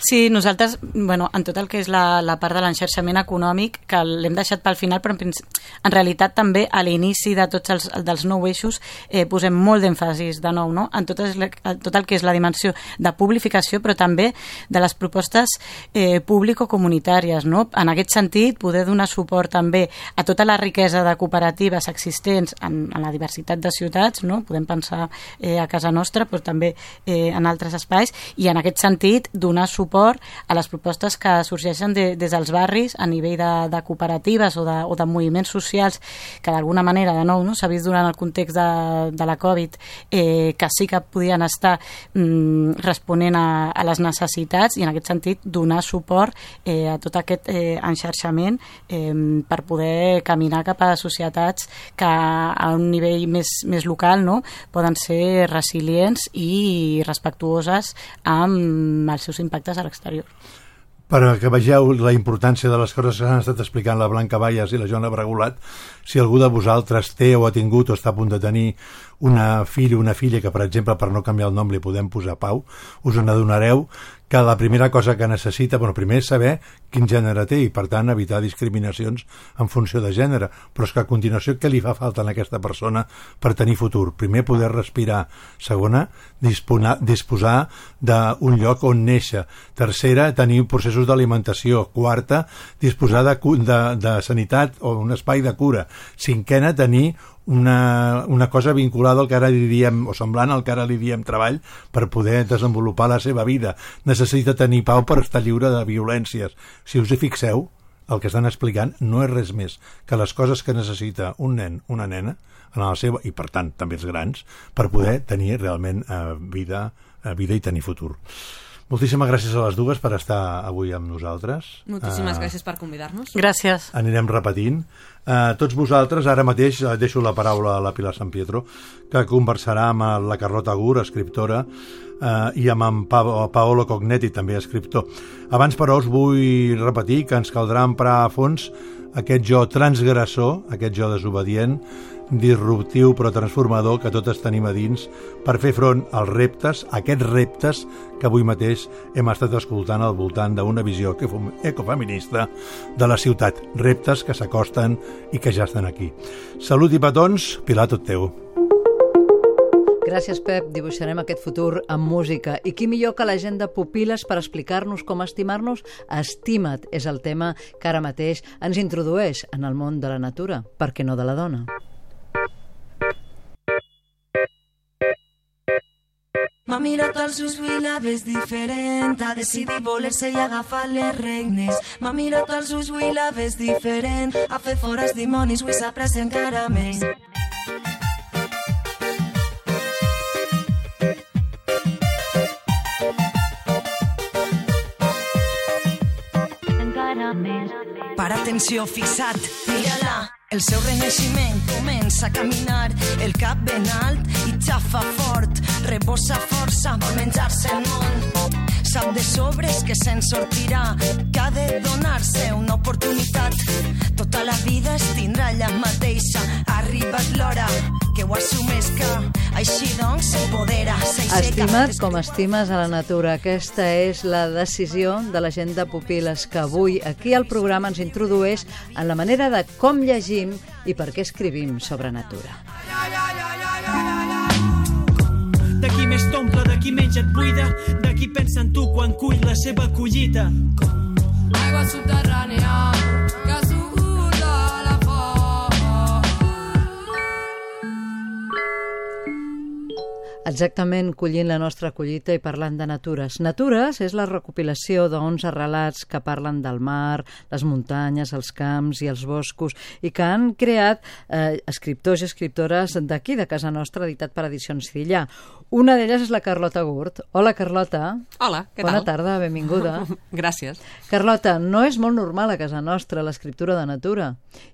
Sí, nosaltres, bueno, en tot el que és la, la part de l'enxarxament econòmic, que l'hem deixat pel final, però en, en realitat també a l'inici de tots els dels nou eixos eh, posem molt d'èmfasis de nou, no? en, tot es, en tot el que és la dimensió de publificació, però també de les propostes eh, público-comunitàries, no? En aquest sentit, poder donar suport també a tota la riquesa de cooperatives existents en, en la diversitat de ciutats, no? Podem pensar eh, a casa nostra, però també eh, en altres espais, i en aquest sentit donar suport a les propostes que sorgeixen de, des dels barris a nivell de, de cooperatives o de, o de moviments socials que d'alguna manera, de nou, no, s'ha vist durant el context de, de la Covid eh, que sí que podien estar mm, responent a, a les necessitats, i en aquest sentit donar suport eh, a tot aquest eh, enxarxament eh, per poder caminar cap a societats que a un nivell més, més local, no, poden ser resilients i respectuoses amb els seus impactes a l'exterior. que vegeu la importància de les coses que s'han estat explicant la Blanca Valles i la Joana Bragulat, si algú de vosaltres té o ha tingut o està a punt de tenir una filla o una filla que, per exemple, per no canviar el nom li podem posar Pau, us n'adonareu que la primera cosa que necessita, bueno, primer és saber quin gènere té i, per tant, evitar discriminacions en funció de gènere, però és que a continuació què li fa falta a aquesta persona per tenir futur? Primer, poder respirar. Segona, disposar, disposar d'un lloc on néixer. Tercera, tenir processos d'alimentació. Quarta, disposar de, de, de sanitat o un espai de cura. Cinquena, tenir una, una cosa vinculada al que ara li diem, o semblant al que ara li diem treball, per poder desenvolupar la seva vida. Necessita tenir pau per estar lliure de violències. Si us hi fixeu, el que estan explicant no és res més que les coses que necessita un nen, una nena, en la seva, i per tant també els grans, per poder tenir realment eh, vida, eh, vida i tenir futur. Moltíssimes gràcies a les dues per estar avui amb nosaltres. Moltíssimes uh, gràcies per convidar-nos. Gràcies. Anirem repetint. Uh, tots vosaltres, ara mateix uh, deixo la paraula a la Pilar San Pietro, que conversarà amb la Carlota Gur, escriptora, uh, i amb en pa Paolo Cognetti, també escriptor. Abans, però, us vull repetir que ens caldrà emprar a fons aquest jo transgressor, aquest jo desobedient, disruptiu però transformador que totes tenim a dins per fer front als reptes, aquests reptes que avui mateix hem estat escoltant al voltant d'una visió ecofeminista de la ciutat. Reptes que s'acosten i que ja estan aquí. Salut i petons, Pilar, tot teu. Gràcies, Pep. Dibuixarem aquest futur amb música. I qui millor que la gent de Pupil·les per explicar-nos com estimar-nos? Estima't és el tema que ara mateix ens introdueix en el món de la natura, per què no de la dona? M'ha mirat als ulls i la ves diferent, ha decidit voler-se i agafar les regnes. M'ha mirat als ulls i la ves diferent, ha fet fora els dimonis i s'aprecia encara més. Per atenció, fixat, mira-la. El seu renaixement comença a caminar, el cap ben alt i xafa fort, rebossa força, vol menjar-se el món. Sap de sobres que se'n sortirà, que ha de donar-se una oportunitat. Tota la vida es tindrà ella mateixa, ha arribat l'hora que ho assumesca, així doncs s'empodera, s'aixeca. Estima't com estimes a la natura. Aquesta és la decisió de la gent de Pupil·les, que avui aquí al programa ens introdueix en la manera de com llegim i per què escrivim sobre natura. De qui més t'omple, de qui menys et buida, de qui pensa en tu quan cull la seva collita. Aigua subterrània que surt de la font. Exactament, collint la nostra collita i parlant de natures. Natures és la recopilació d'onze relats que parlen del mar, les muntanyes, els camps i els boscos, i que han creat eh, escriptors i escriptores d'aquí, de casa nostra, editat per Edicions Cidillà. Una d'elles és la Carlota Gurt. Hola, Carlota. Hola, què Bona tal? Bona tarda, benvinguda. Gràcies. Carlota, no és molt normal a casa nostra l'escriptura de natura,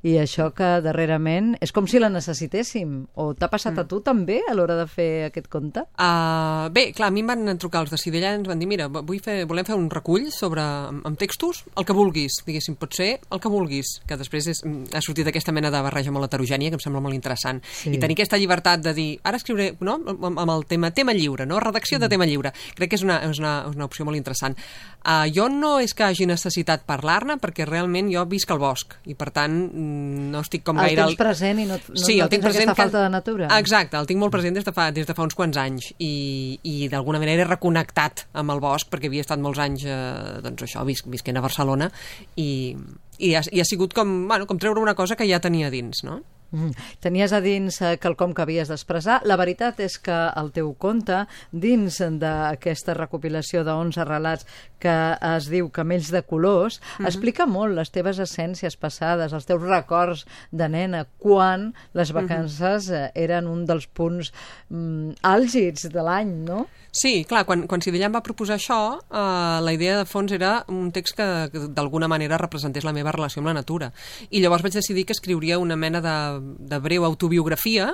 i això que darrerament és com si la necessitéssim. O t'ha passat a tu també a l'hora de fer aquest conte? Uh, bé, clar, a mi em van trucar els de Cidellà i ens van dir, mira, vull fer, volem fer un recull sobre, amb textos, el que vulguis, diguéssim, pot ser el que vulguis, que després és, ha sortit aquesta mena de barreja molt heterogènia que em sembla molt interessant. Sí. I tenir aquesta llibertat de dir, ara escriuré, no?, amb el tema tema lliure, no? Redacció de tema lliure. Crec que és una, és una, una opció molt interessant. Uh, jo no és que hagi necessitat parlar-ne, perquè realment jo visc al bosc, i per tant no estic com el gaire... El tens present i no, no, sí, no tens aquesta falta de natura. Exacte, el tinc molt present des de fa, des de fa uns quants anys, i, i d'alguna manera he reconnectat amb el bosc, perquè havia estat molts anys, eh, doncs això, vis, visquent a Barcelona, i, i, ha, i ha sigut com, bueno, com treure una cosa que ja tenia dins, no? Mm. Tenies a dins eh, quelcom que havies d'expressar. La veritat és que el teu conte, dins d'aquesta recopilació d'onze relats que es diu Camells de colors, mm-hmm. explica molt les teves essències passades, els teus records de nena, quan les vacances mm-hmm. eren un dels punts mm, àlgids de l'any, no? Sí, clar, quan, quan Cidellà em va proposar això, eh, la idea de fons era un text que, que d'alguna manera representés la meva relació amb la natura. I llavors vaig decidir que escriuria una mena de de breu autobiografia,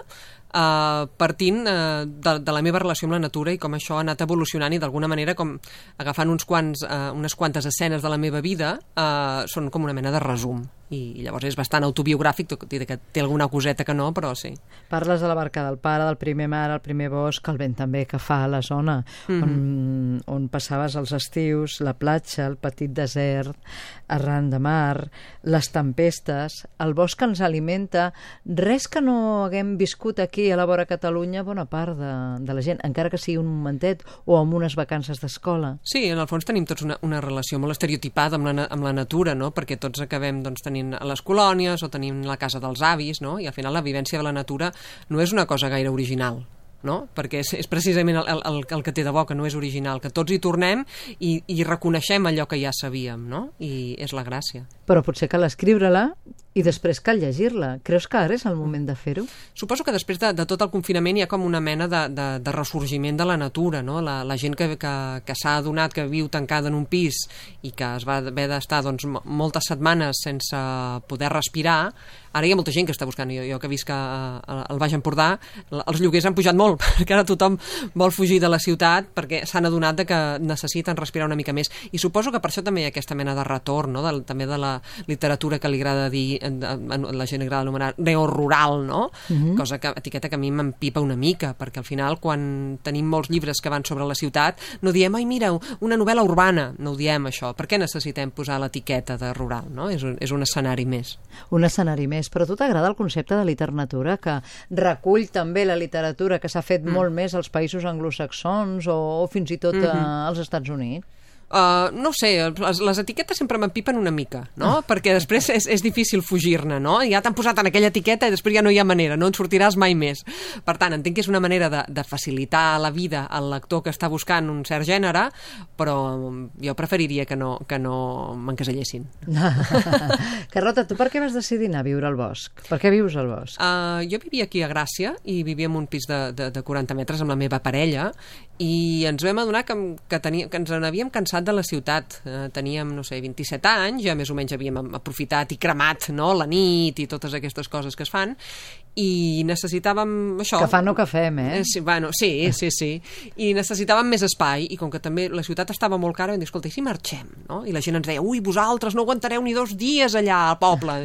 Uh, partint uh, de, de la meva relació amb la natura i com això ha anat evolucionant i d'alguna manera com agafant uns quants, uh, unes quantes escenes de la meva vida uh, són com una mena de resum i llavors és bastant autobiogràfic, tot i que té alguna coseta que no, però sí. Parles de la barca del pare, del primer mar, el primer bosc, el vent també que fa a la zona mm-hmm. on, on passaves els estius, la platja, el petit desert, arran de mar, les tempestes, el bosc que ens alimenta, res que no haguem viscut aquí a la vora Catalunya, bona part de, de la gent, encara que sigui un momentet o amb unes vacances d'escola. Sí, en el fons tenim tots una, una relació molt estereotipada amb la, amb la natura, no? Perquè tots acabem doncs, tenint a les colònies o tenim la casa dels avis, no? I al final la vivència de la natura no és una cosa gaire original, no? Perquè és, és precisament el, el, el que té de bo, que no és original, que tots hi tornem i, i reconeixem allò que ja sabíem, no? I és la gràcia. Però potser cal escriure-la i després cal llegir-la. Creus que ara és el moment de fer-ho? Suposo que després de, de tot el confinament hi ha com una mena de, de, de ressorgiment de la natura, no? La, la gent que, que, que s'ha adonat que viu tancada en un pis i que es va haver d'estar doncs, moltes setmanes sense poder respirar, ara hi ha molta gent que està buscant, jo, jo que visc al Baix Empordà, els lloguers han pujat molt, perquè ara tothom vol fugir de la ciutat perquè s'han adonat de que necessiten respirar una mica més. I suposo que per això també hi ha aquesta mena de retorn, no? de, també de la literatura que li agrada dir, la gent agrada anomenar neorural, no? Mm-hmm. Cosa que, etiqueta que a mi m'empipa una mica, perquè al final quan tenim molts llibres que van sobre la ciutat, no diem, ai mira, una novel·la urbana, no ho diem això. Per què necessitem posar l'etiqueta de rural, no? És un, és un escenari més. Un escenari més, però a tu t'agrada el concepte de literatura que recull també la literatura que s'ha fet mm. molt més als països anglosaxons o, o fins i tot mm-hmm. als Estats Units? Uh, no ho sé, les, les etiquetes sempre m'empipen una mica, no? Ah. Perquè després és, és difícil fugir-ne, no? Ja t'han posat en aquella etiqueta i després ja no hi ha manera, no en sortiràs mai més. Per tant, entenc que és una manera de, de facilitar la vida al lector que està buscant un cert gènere, però jo preferiria que no, que no m'encasellessin. Carlota, tu per què vas decidir anar a viure al bosc? Per què vius al bosc? Uh, jo vivia aquí a Gràcia i vivia en un pis de, de, de quaranta metres amb la meva parella i ens vam adonar que, que, tenia, que ens n'havíem cansat de la ciutat. Eh, teníem, no sé, vint-i-set anys, ja més o menys havíem aprofitat i cremat, no?, la nit i totes aquestes coses que es fan, i necessitàvem això. Que fan o que fem, eh? Sí, bueno, sí, sí, sí. I necessitàvem més espai, i com que també la ciutat estava molt cara, vam dir, escolta, i si marxem, no? I la gent ens deia, ui, vosaltres no aguantareu ni dos dies allà al poble.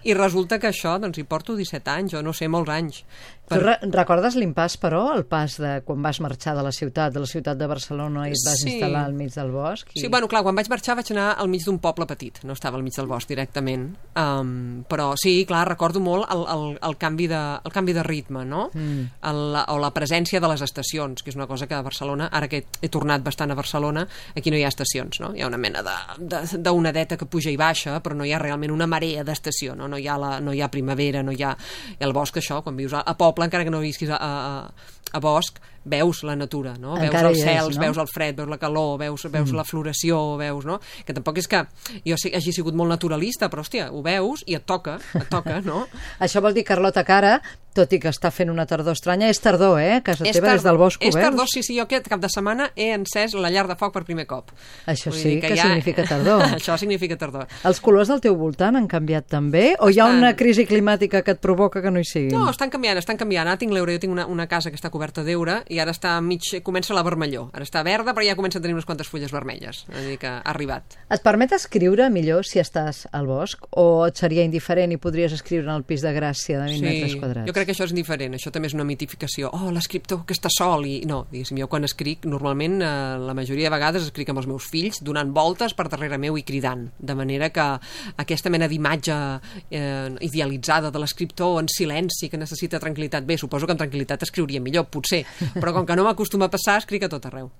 I resulta que això, doncs hi porto disset anys, o no sé, molts anys. Per... Tu re recordes l'impàs, però, el pas de quan vas marxar de la ciutat, de la ciutat de Barcelona i et vas sí. instal·lar al mig del bosc? I... Sí, bueno, clar, quan vaig marxar vaig anar al mig d'un poble petit, no estava al mig del bosc directament. Um, però sí, clar, recordo molt el, el, el, canvi, de, el canvi de ritme, no? Mm. El, o la presència de les estacions, que és una cosa que a Barcelona, ara que he tornat bastant a Barcelona, aquí no hi ha estacions, no? Hi ha una mena d'onadeta que puja i baixa, però no hi ha realment una marea d'estació, no? No hi ha, la, no hi ha primavera, no hi ha, hi ha el bosc, això, quan vius a, a poble, encara que no visquis a, a, a bosc, veus la natura, no? Encara veus els cels, és, no? Veus el fred, veus la calor, veus, veus mm. la floració, veus, no? Que tampoc és que jo hagi sigut molt naturalista, però, hòstia, ho veus i et toca, et toca, no? Això vol dir, Carlota, que ara, tot i que està fent una tardor estranya, és tardor, eh? Casa teva des del bosc ho veus? És tardor, sí, sí, jo aquest cap de setmana he encès la llar de foc per primer cop. Això sí, que, que ja... significa tardor. Això significa tardor. Els colors del teu voltant han canviat també? O estan... hi ha una crisi climàtica que et provoca que no hi siguin? No, estan canviant, estan canviant. Ara tinc l'euro, jo tinc una, una casa que està coberta d'eure i ara està mig, comença la vermellor. Ara està verda, però ja comença a tenir unes quantes fulles vermelles. És a dir, que ha arribat. Et permet escriure millor si estàs al bosc o et seria indiferent i podries escriure en el pis de Gràcia de vint sí, metres quadrats? Jo crec que això és indiferent. Això també és una mitificació. Oh, l'escriptor que està sol i... No, diguéssim, jo quan escric, normalment, eh, la majoria de vegades escric amb els meus fills, donant voltes per darrere meu i cridant. De manera que aquesta mena d'imatge eh, idealitzada de l'escriptor en silenci, que necessita tranquil·litat, bé, suposo que amb tranquil·litat escriuria millor, potser, però com que no m'acostuma a passar, escric a tot arreu.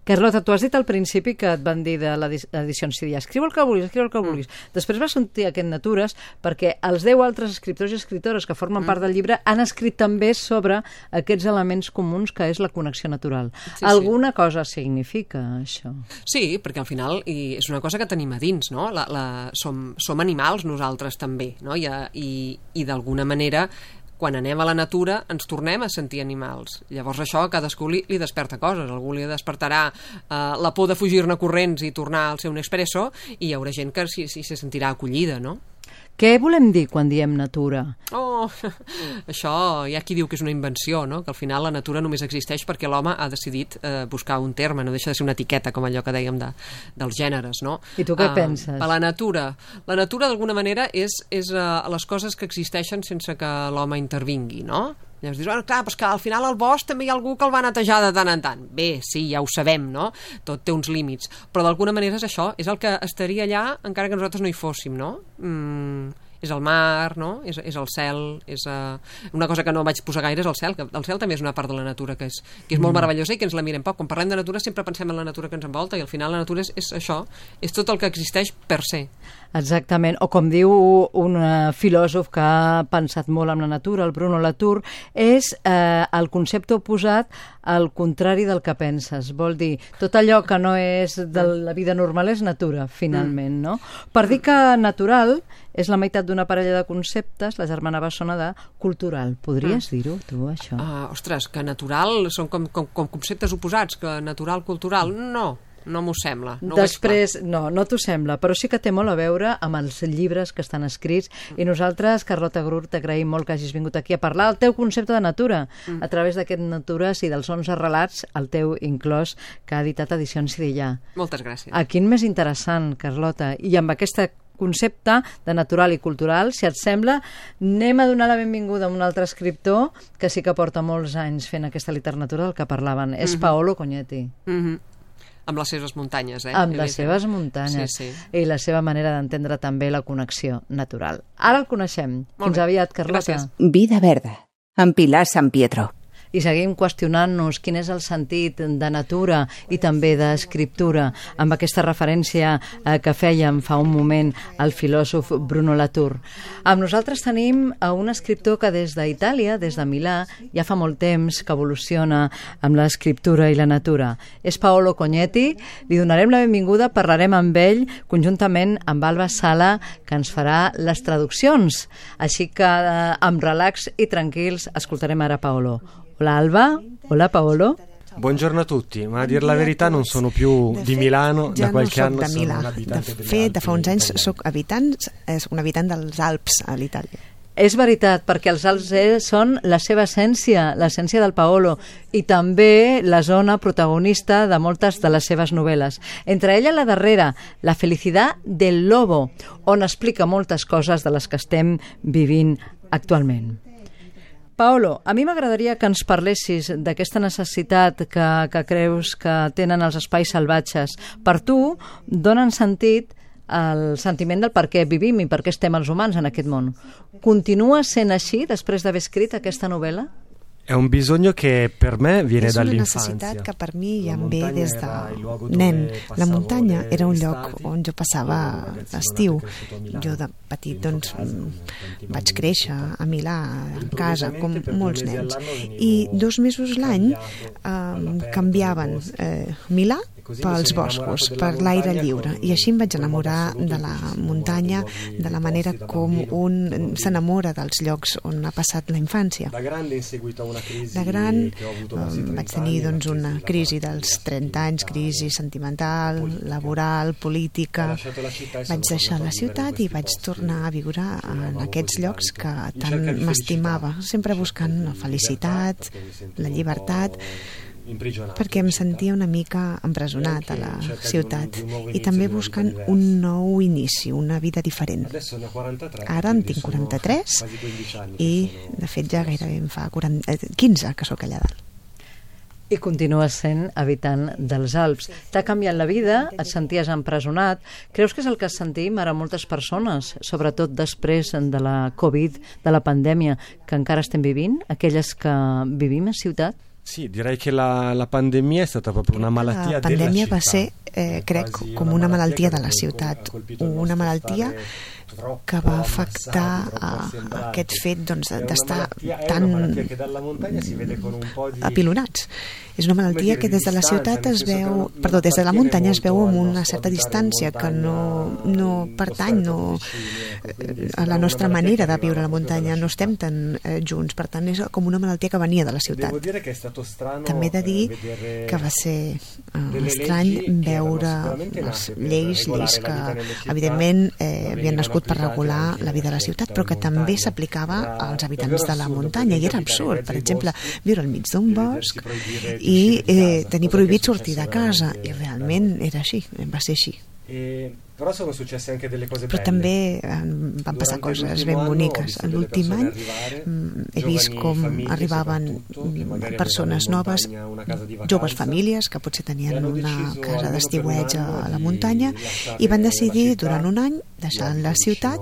Carlota, tu has dit al principi que et van dir de l'edició en C D, escriu el que vulguis, escriu el que vulguis. Mm. Després vas sentir aquest Natures perquè els deu altres escriptors i escriptores que formen mm. part del llibre han escrit també sobre aquests elements comuns que és la connexió natural. Sí, Alguna sí. cosa significa això? Sí, perquè al final i és una cosa que tenim a dins, no? La, la, som, som animals nosaltres també, no? I, i, i d'alguna manera quan anem a la natura ens tornem a sentir animals. Llavors això a cadascú li, li desperta coses. Algú li despertarà eh, la por de fugir-ne corrents i tornar al seu Nespresso i hi haurà gent que s'hi sí, se sentirà acollida, no? Què volem dir quan diem natura? Oh, això hi ha qui diu que és una invenció, no? Que al final la natura només existeix perquè l'home ha decidit eh, buscar un terme, no deixa de ser una etiqueta, com allò que dèiem de, dels gèneres, no? I tu què uh, penses? Per la natura. La natura, d'alguna manera, és, és uh, les coses que existeixen sense que l'home intervingui, no? Llavors dius, oh, clar, però que al final al bosc també hi ha algú que el va netejar de tant en tant. Bé, sí, ja ho sabem, no? Tot té uns límits. Però d'alguna manera és això, és el que estaria allà encara que nosaltres no hi fóssim, no? Mm, és el mar, no? És, és el cel, és uh, una cosa que no vaig posar gaire és el cel, que el cel també és una part de la natura que és, que és molt meravellosa i que ens la mirem poc. Quan parlem de natura sempre pensem en la natura que ens envolta i al final la natura és, és això, és tot el que existeix per ser. Exactament, o com diu un filòsof que ha pensat molt en la natura, el Bruno Latour, és eh, el concepte oposat al contrari del que penses. Vol dir, tot allò que no és de la vida normal és natura, finalment, no? Per dir que natural és la meitat d'una parella de conceptes, la germana bessona de cultural. Podries dir-ho, tu, això? Uh, ostres, que natural són com, com, com conceptes oposats, que natural, cultural, no. No m'ho sembla. No Després, no, no t'ho sembla, però sí que té molt a veure amb els llibres que estan escrits i nosaltres, Carlota Gurt, t'agraïm molt que hagis vingut aquí a parlar del teu concepte de natura, a través d'aquest Natures i dels onze relats, el teu inclòs, que ha editat Edicions Sidillà. Moltes gràcies. A quin més interessant, Carlota, i amb aquesta concepte de natural i cultural, si et sembla, anem a donar la benvinguda a un altre escriptor que sí que porta molts anys fent aquesta literatura del que parlaven. És Paolo Cognetti. Mhm. Amb les seves muntanyes, eh? Amb les seves muntanyes. Sí, sí. I la seva manera d'entendre també la connexió natural. Ara el coneixem. Molt Fins bé. aviat, Carlota. Gràcies. Vida Verda, amb Pilar San Pietro. I seguim qüestionant-nos quin és el sentit de natura i també d'escriptura, amb aquesta referència eh, que fèiem fa un moment al filòsof Bruno Latour. Amb nosaltres tenim a un escriptor que des d'Itàlia, des de Milà, ja fa molt temps que evoluciona amb l'escriptura i la natura. És Paolo Cognetti, li donarem la benvinguda, parlarem amb ell conjuntament amb Alba Sala, que ens farà les traduccions. Així que eh, amb relax i tranquils escoltarem ara Paolo. Hola Alba, hola Paolo. Buongiorno a tutti, ma a dir la verità non sono più di Milano, ja da qualche no anno de sono Milà. un abitante De delle fet, Alpi, de fa uns anys italiane. soc habitant, és un habitant dels Alps a l'Itàlia. És veritat, perquè els Alps eh, són la seva essència, l'essència del Paolo, i també la zona protagonista de moltes de les seves novel·les. Entre elles la darrera, La felicitat del lobo, on explica moltes coses de les que estem vivint actualment. Paolo, a mi m'agradaria que ens parlessis d'aquesta necessitat que, que creus que tenen els espais salvatges. Per tu, donen sentit al sentiment del per què vivim i per què estem els humans en aquest món. Continua sent així després d'haver escrit aquesta novel·la? È un bisogno che per me viene És una dall'infanzia. necessitat que per mi ja La em ve muntanya des era il luogo de dove nen. La passavo muntanya le- era un le lloc estati. on jo passava Ero un ragazzino l'estiu. nato e cresciuto a Milano. Jo de petit doncs, casa, mm, tanti vaig bambini. créixer a Milà, a casa, com Improvvisamente per molts due mesi nens. all'anno venivo I dos mesos l'any cambiato eh, all'aperto, canviaven nei boschi. eh, Milà E così mi pels sono boscos, innamorato per della l'aire montagna lliure. con I així em vaig quel modo enamorar assoluto de in la cui ci si muntanya, innamora dei luoghi de la dei manera posti da com bambino, un bambino. s'enamora dels llocs on ha passat la infància. Da grande in seguito a una crisi De gran che ho avuto eh, quasi vaig trenta tenir anni, doncs, la una della crisi malattia, dels la trenta anys, crisi sentimental, politica. laboral, Ho política. lasciato la città e sono Vaig deixar tornato la a vivere in ciutat i questi vaig posti tornar a viure en amavo aquests così llocs tanto. que In tant cerca di m'estimava, felicità, sempre in buscant cerca la di felicitat, libertà, perché mi sentivo la un llibertat, po' imprigionato perquè in em città. sentia una mica empresonat a E la anche in cerca di un- ciutat di un nuovo i inizio, també di una buscant vita un diversa. nou inici, una vida diferent. Adesso ne ho quarantatré, Ara en quindi tinc sono quaranta-tres quasi quindici anni che i sono- de fet ja gairebé em fa quaranta, eh, quinze que sóc allà dalt. I continues sent habitant dels Alps. T'ha canviat la vida, et senties empresonat. Creus que és el que sentim ara moltes persones, sobretot després de la Covid, de la pandèmia, que encara estem vivint, aquelles que vivim a ciutat? Sì, direi che la, la pandemia è stata proprio una malattia La della pandèmia città. va ser, eh, crec, Quasi com una una malattia malaltia che de la ha ciutat, colpito il una nostre malaltia stare troppo que va afectar ammassati, troppo a, a assemblati. aquest fet doncs, È una d'estar malattia- è tan una malattia che dalla montagna si vede con un po' di apilonats. És una malaltia que des de la ciutat es veu, perdó, des de la muntanya es veu amb una certa distància que no, no pertany no, a la nostra manera de viure a la muntanya, no estem tan eh, junts, per tant és com una malaltia que venia de la ciutat. Devo dire che è stato strano També he de dir vedere que va ser uh, delle estrany leggi che veure erano sicuramente les nate per lleis, regolare lleis la vita que nelle città, evidentment eh, dove havien venivano nascut nascut per regular la vida a la ciutat, però que també s'aplicava als habitants de la muntanya, i era absurd. Per exemple, viure al mig d'un bosc i eh, tenir prohibit sortir de casa, i realment era així, va ser així. Però sono successe anche delle cose però belle. també eh, van passar coses ben boniques. En l'últim any he vist com arribaven persones noves, joves famílies que potser tenien una casa d'estiueig a la muntanya, i van decidir durant un any deixar la ciutat.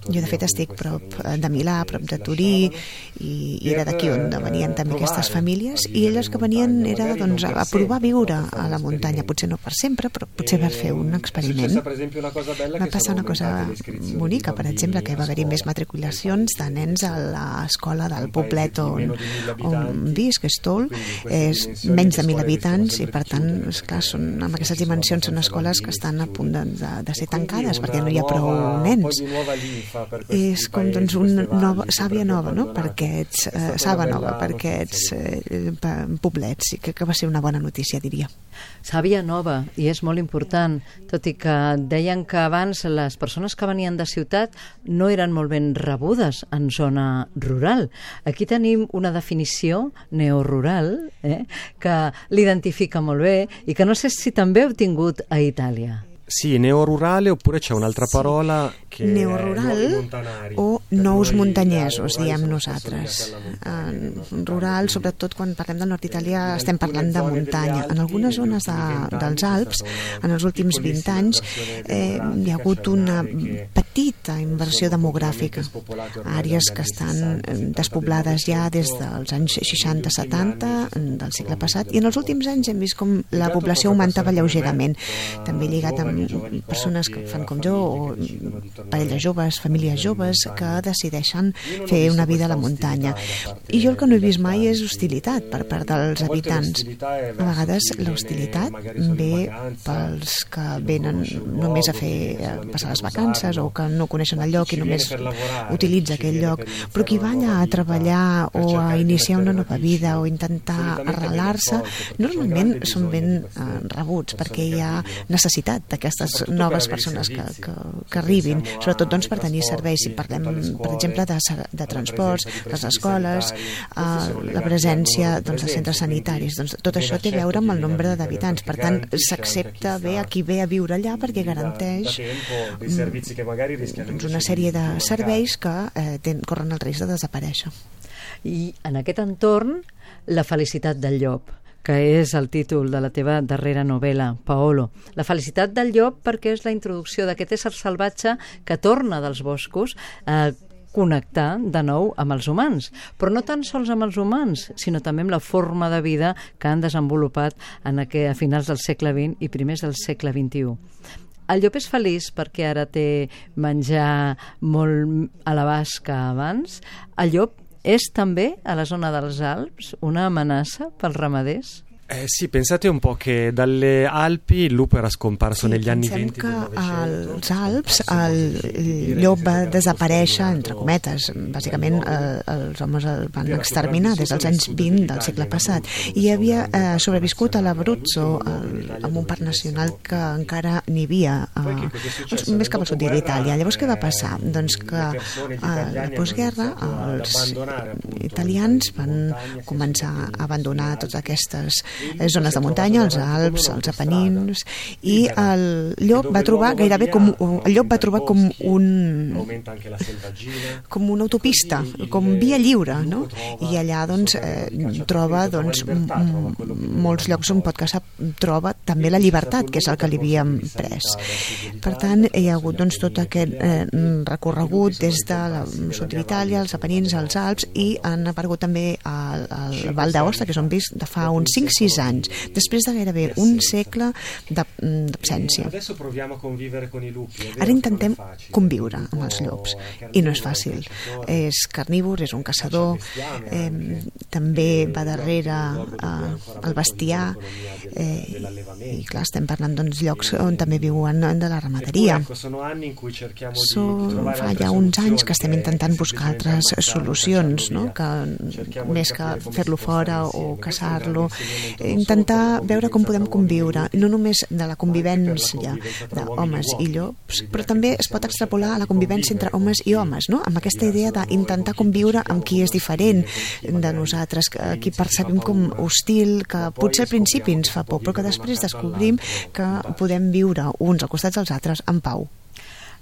Jo de fet estic prop de Milà, prop de Turí, i, i era d'aquí on venien també aquestes famílies, i elles que venien era doncs, a provar viure a la muntanya, potser no per sempre, però potser per fer un experiment. Va passar una cosa bonica, per exemple, que va haver-hi més matriculacions de nens a l'escola del poblet on, on visc, Estol, és menys de mil habitants, i per tant, esclar, són, amb aquestes dimensions són escoles que estan a punt de, de, de ser tancades perquè no hi ha prou nens. És com doncs una nova, sàvia nova, no?, per aquests, eh, saba nova per aquests eh, poblets, i crec que va ser una bona notícia, diria. Sàvia nova, i és molt important, tot i que deien que abans les persones que venien de ciutat no eren molt ben rebudes en zona rural. Aquí tenim una definició neorural eh, que l'identifica molt bé i que no sé si també heu tingut a Itàlia. Sì, neorurale, oppure c'è un'altra parola che neorural o nous muntanyesos, diem nosaltres. En rural, sobretot quan parlem del nord d'Itàlia, estem parlant de muntanya. En algunes zones de, dels Alps, en els últims vint anys, eh, hi ha hagut una petita inversió demogràfica. Àrees que estan despoblades ja des dels anys seixanta setanta del segle passat, i en els últims anys hem vist com la població augmentava lleugerament, també lligat amb persones que fan com jo, o parelles joves, famílies joves que decideixen fer una vida a la muntanya. I jo el que no he vist mai és hostilitat per part dels habitants. A vegades l'hostilitat ve pels que venen només a fer a passar les vacances, o que no coneixen el lloc i només utilitza aquell lloc, però qui va allà a treballar o a iniciar una nova vida o intentar arrelar-se, normalment són ben eh, rebuts, perquè hi ha necessitat d'aquestes noves persones que, que, que arribin, sobretot doncs, per tenir serveis. Si parlem, per exemple, de, de transports, les escoles, eh, la presència doncs, de centres sanitaris, doncs, tot això té a veure amb el nombre d'habitants. Per tant, s'accepta bé a qui ve a viure allà, perquè garanteix doncs, una sèrie de serveis que eh, ten, corren el risc de desaparèixer. I en aquest entorn, la felicitat del llop, que és el títol de la teva darrera novel·la, Paolo. La felicitat del llop perquè és la introducció d'aquest ésser salvatge que torna dels boscos a connectar de nou amb els humans, però no tan sols amb els humans, sinó també amb la forma de vida que han desenvolupat en aquest, a finals del segle vint i primers del segle vint-i-u. El llop és feliç perquè ara té menjar molt a l'abast que abans. El llop és també, a la zona dels Alps, una amenaça pels ramaders? Eh, sì, pensate un po' che dalle Alpi il lupo era scomparso sí, negli anni venti del Novecento. Als Alps el llop va desaparèixer, entre cometes. Bàsicament eh, els homes el van exterminar des dels anys vint del segle passat, i havia eh, sobreviscut a l'Abruzzo, amb un parc nacional que encara n'hi havia eh, doncs, més cap al sud d'Itàlia. Llavors què va passar? Doncs que a la postguerra els italians van començar a abandonar totes aquestes zones de muntanya, els Alps, els Apenins, i el llop va trobar gairebé com el llop va trobar com un com una autopista, com via lliure, no? I allà doncs eh, troba doncs molts llocs on pot caçar, troba també la llibertat, que és el que li havíem pres. Per tant, hi ha hagut doncs tot aquest eh, recorregut des de la sud d'Itàlia, els Apenins, els Alps, i han aparegut també al, al Val d'Aosta, que és on visc de fa uns cinc sis anys, després de gairebé un segle d'absència. Ara intentem conviure amb els llops, i no és fàcil. És carnívor, és un caçador, eh, també va darrere eh, el bestiar, eh, i clar, estem parlant d'uns llocs on també viuen de la ramaderia. Són, fa ja uns anys que estem intentant buscar altres solucions, no? Que més que fer-lo fora o caçar-lo, intentar veure com podem conviure, no només de la convivència d'homes i llops, però també es pot extrapolar a la convivència entre homes i homes, no? Amb aquesta idea d'intentar conviure amb qui és diferent de nosaltres, qui percebem com hostil, que potser al principi ens fa por, però que després descobrim que podem viure uns al costat dels altres en pau.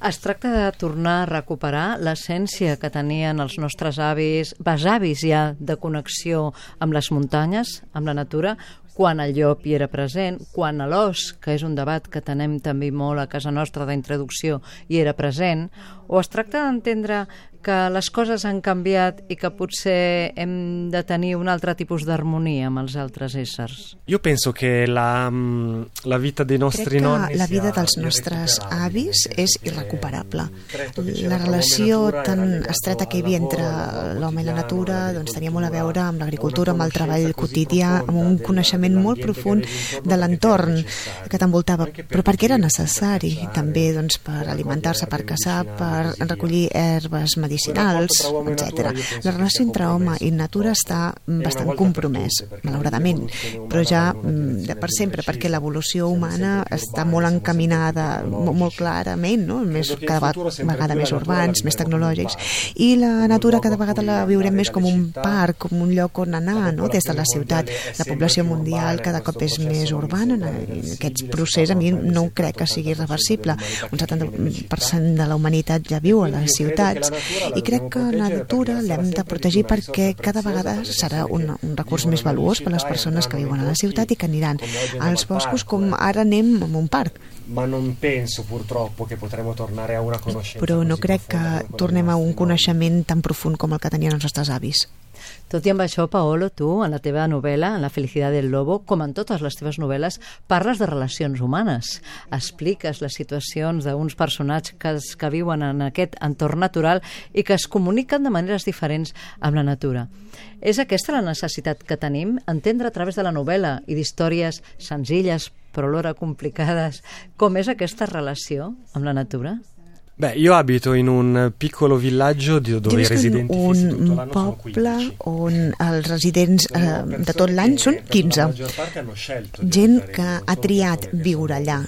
Es tracta de tornar a recuperar l'essència que tenien els nostres avis, besavis ja, de connexió amb les muntanyes, amb la natura, quan el llop hi era present, quan l'os, que és un debat que tenem també molt a casa nostra d'introducció, hi era present, o es tracta d'entendre que les coses han canviat i que potser hem de tenir un altre tipus d'harmonia amb els altres éssers? Io penso che la, la vita dei nostri nonni... Crec que la vida dels nostres avis és irrecuperable. La relació tan estreta que hi havia entre l'home i la natura doncs, tenia molt a veure amb l'agricultura, amb el treball quotidià, amb un coneixement molt profund de l'entorn que t'envoltava, però perquè era necessari també doncs, per alimentar-se, per caçar, per recollir herbes medicinals, etcètera. La relació entre home i natura està bastant compromès, malauradament, però ja de per sempre, perquè l'evolució humana està molt encaminada, molt clarament, no? Més, cada vegada més urbans, més tecnològics, i la natura cada vegada la viurem més com un parc, com un lloc on anar, no? Des de la ciutat. La població mundial cada cop és més urbana, aquest procés a mi no crec que sigui reversible. Un setanta per cent de la humanitat ja viu a les ciutats i crec que la natura l'hem de protegir perquè cada vegada serà un, un recurs més valuós per a les persones que viuen a la ciutat i que aniran als boscos com ara anem a un parc. Ma non penso purtroppo che potremo tornare a una conoscenza. Però no crec que tornem a un coneixement tan profund com el que tenien els nostres avis. Tot i amb això, Paolo, tu, en la teva novel·la, en La felicitat del lobo, com en totes les teves novel·les, parles de relacions humanes. Expliques les situacions d'uns personatges que, que viuen en aquest entorn natural i que es comuniquen de maneres diferents amb la natura. És aquesta la necessitat que tenim? Entendre a través de la novel·la i d'històries senzilles però alhora complicades com és aquesta relació amb la natura? Beh, io abito in un piccolo villaggio dove i residenti fissi tutto l'anno sono quindici. On els residents eh, de tot l'any són quinze. Gent que ha triat viure allà.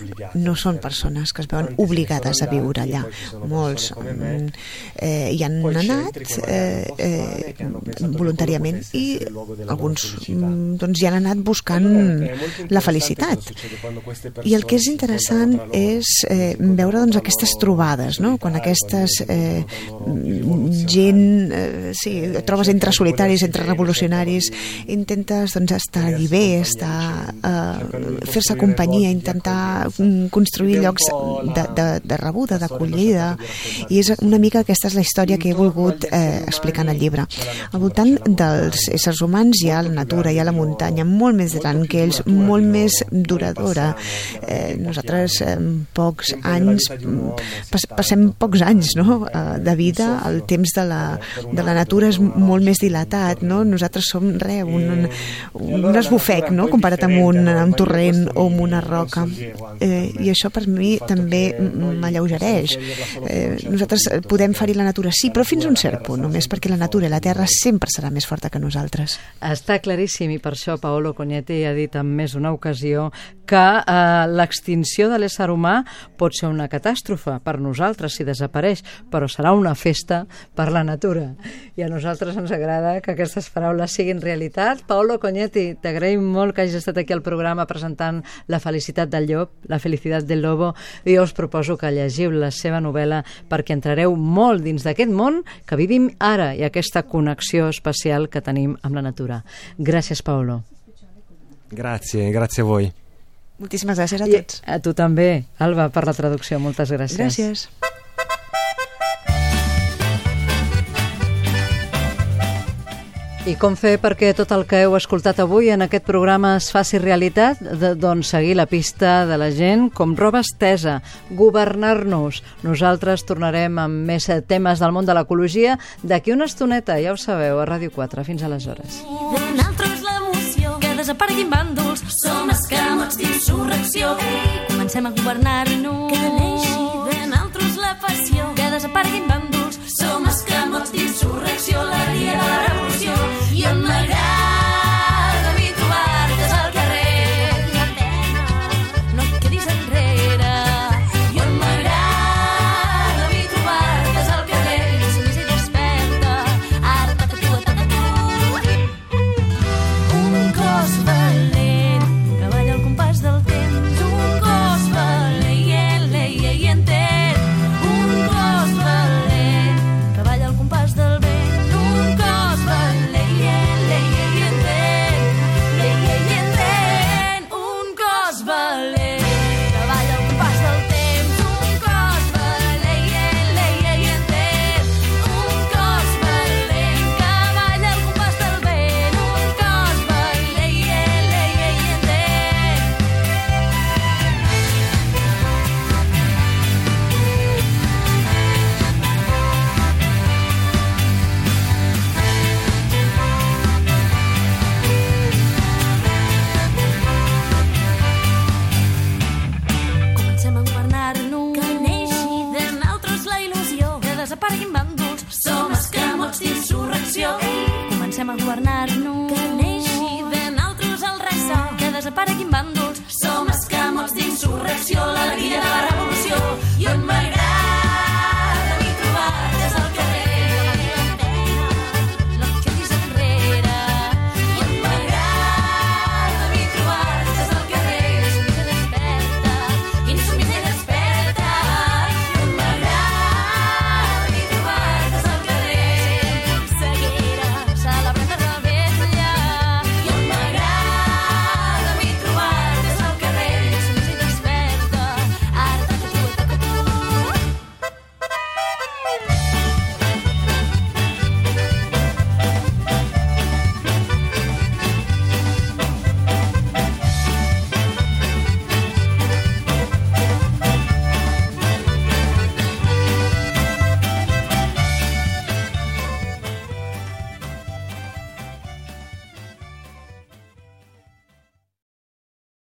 No són persones que es veuen obligades a viure allà. Molts eh, hi han anat eh, eh, voluntàriament i alguns doncs, hi han anat buscant la felicitat. I el que és interessant és eh, veure doncs, aquestes trobades, no? Quan aquestes eh, gent eh, sí, trobes entre solitaris, entre revolucionaris, intentes doncs, estar-hi bé, estar, eh, fer-se companyia, intentar construir llocs de, de, de rebuda, d'acollida, i és una mica aquesta és la història que he volgut eh, explicar en el llibre. Al voltant dels éssers humans hi ha la natura, hi ha la muntanya, molt més gran que ells, molt més duradora. Eh, nosaltres eh, pocs anys pas, passem pocs anys no? de vida, el temps de la, de la natura és molt més dilatat, no? Nosaltres som re, un, un, un esbufec no? Comparat amb un, un torrent o amb una roca, eh, i això per mi també m'alleugereix. Eh, nosaltres podem ferir la natura, sí, però fins a un cert punt, només perquè la natura i la terra sempre serà més forta que nosaltres. Està claríssim, i per això Paolo Cognetti ha dit en més d'una ocasió que eh, l'extinció de l'ésser humà pot ser una catàstrofe per nosaltres si desapareix, però serà una festa per la natura. I a nosaltres ens agrada que aquestes paraules siguin realitat. Paolo Cognetti, t'agraïm molt que hagis estat aquí al programa presentant La felicitat del llop, La felicitat del lobo, i jo us proposo que llegiu la seva novel·la perquè entrareu molt dins d'aquest món que vivim ara i aquesta connexió especial que tenim amb la natura. Gràcies, Paolo. Grazie, grazie a voi. Moltíssimes gràcies a tots. I a tu també, Alba, per la traducció. Moltes gràcies. Gràcies. I com fer perquè tot el que heu escoltat avui en aquest programa es faci realitat? De, doncs seguir la pista de la gent com roba estesa, governar-nos. Nosaltres tornarem amb més temes del món de l'ecologia d'aquí una estoneta, ja ho sabeu, a Ràdio quatre. Fins aleshores. De nosaltres l'emoció, que desapareguin bàndols, som escamots d'insurrecció. Comencem a governar-nos.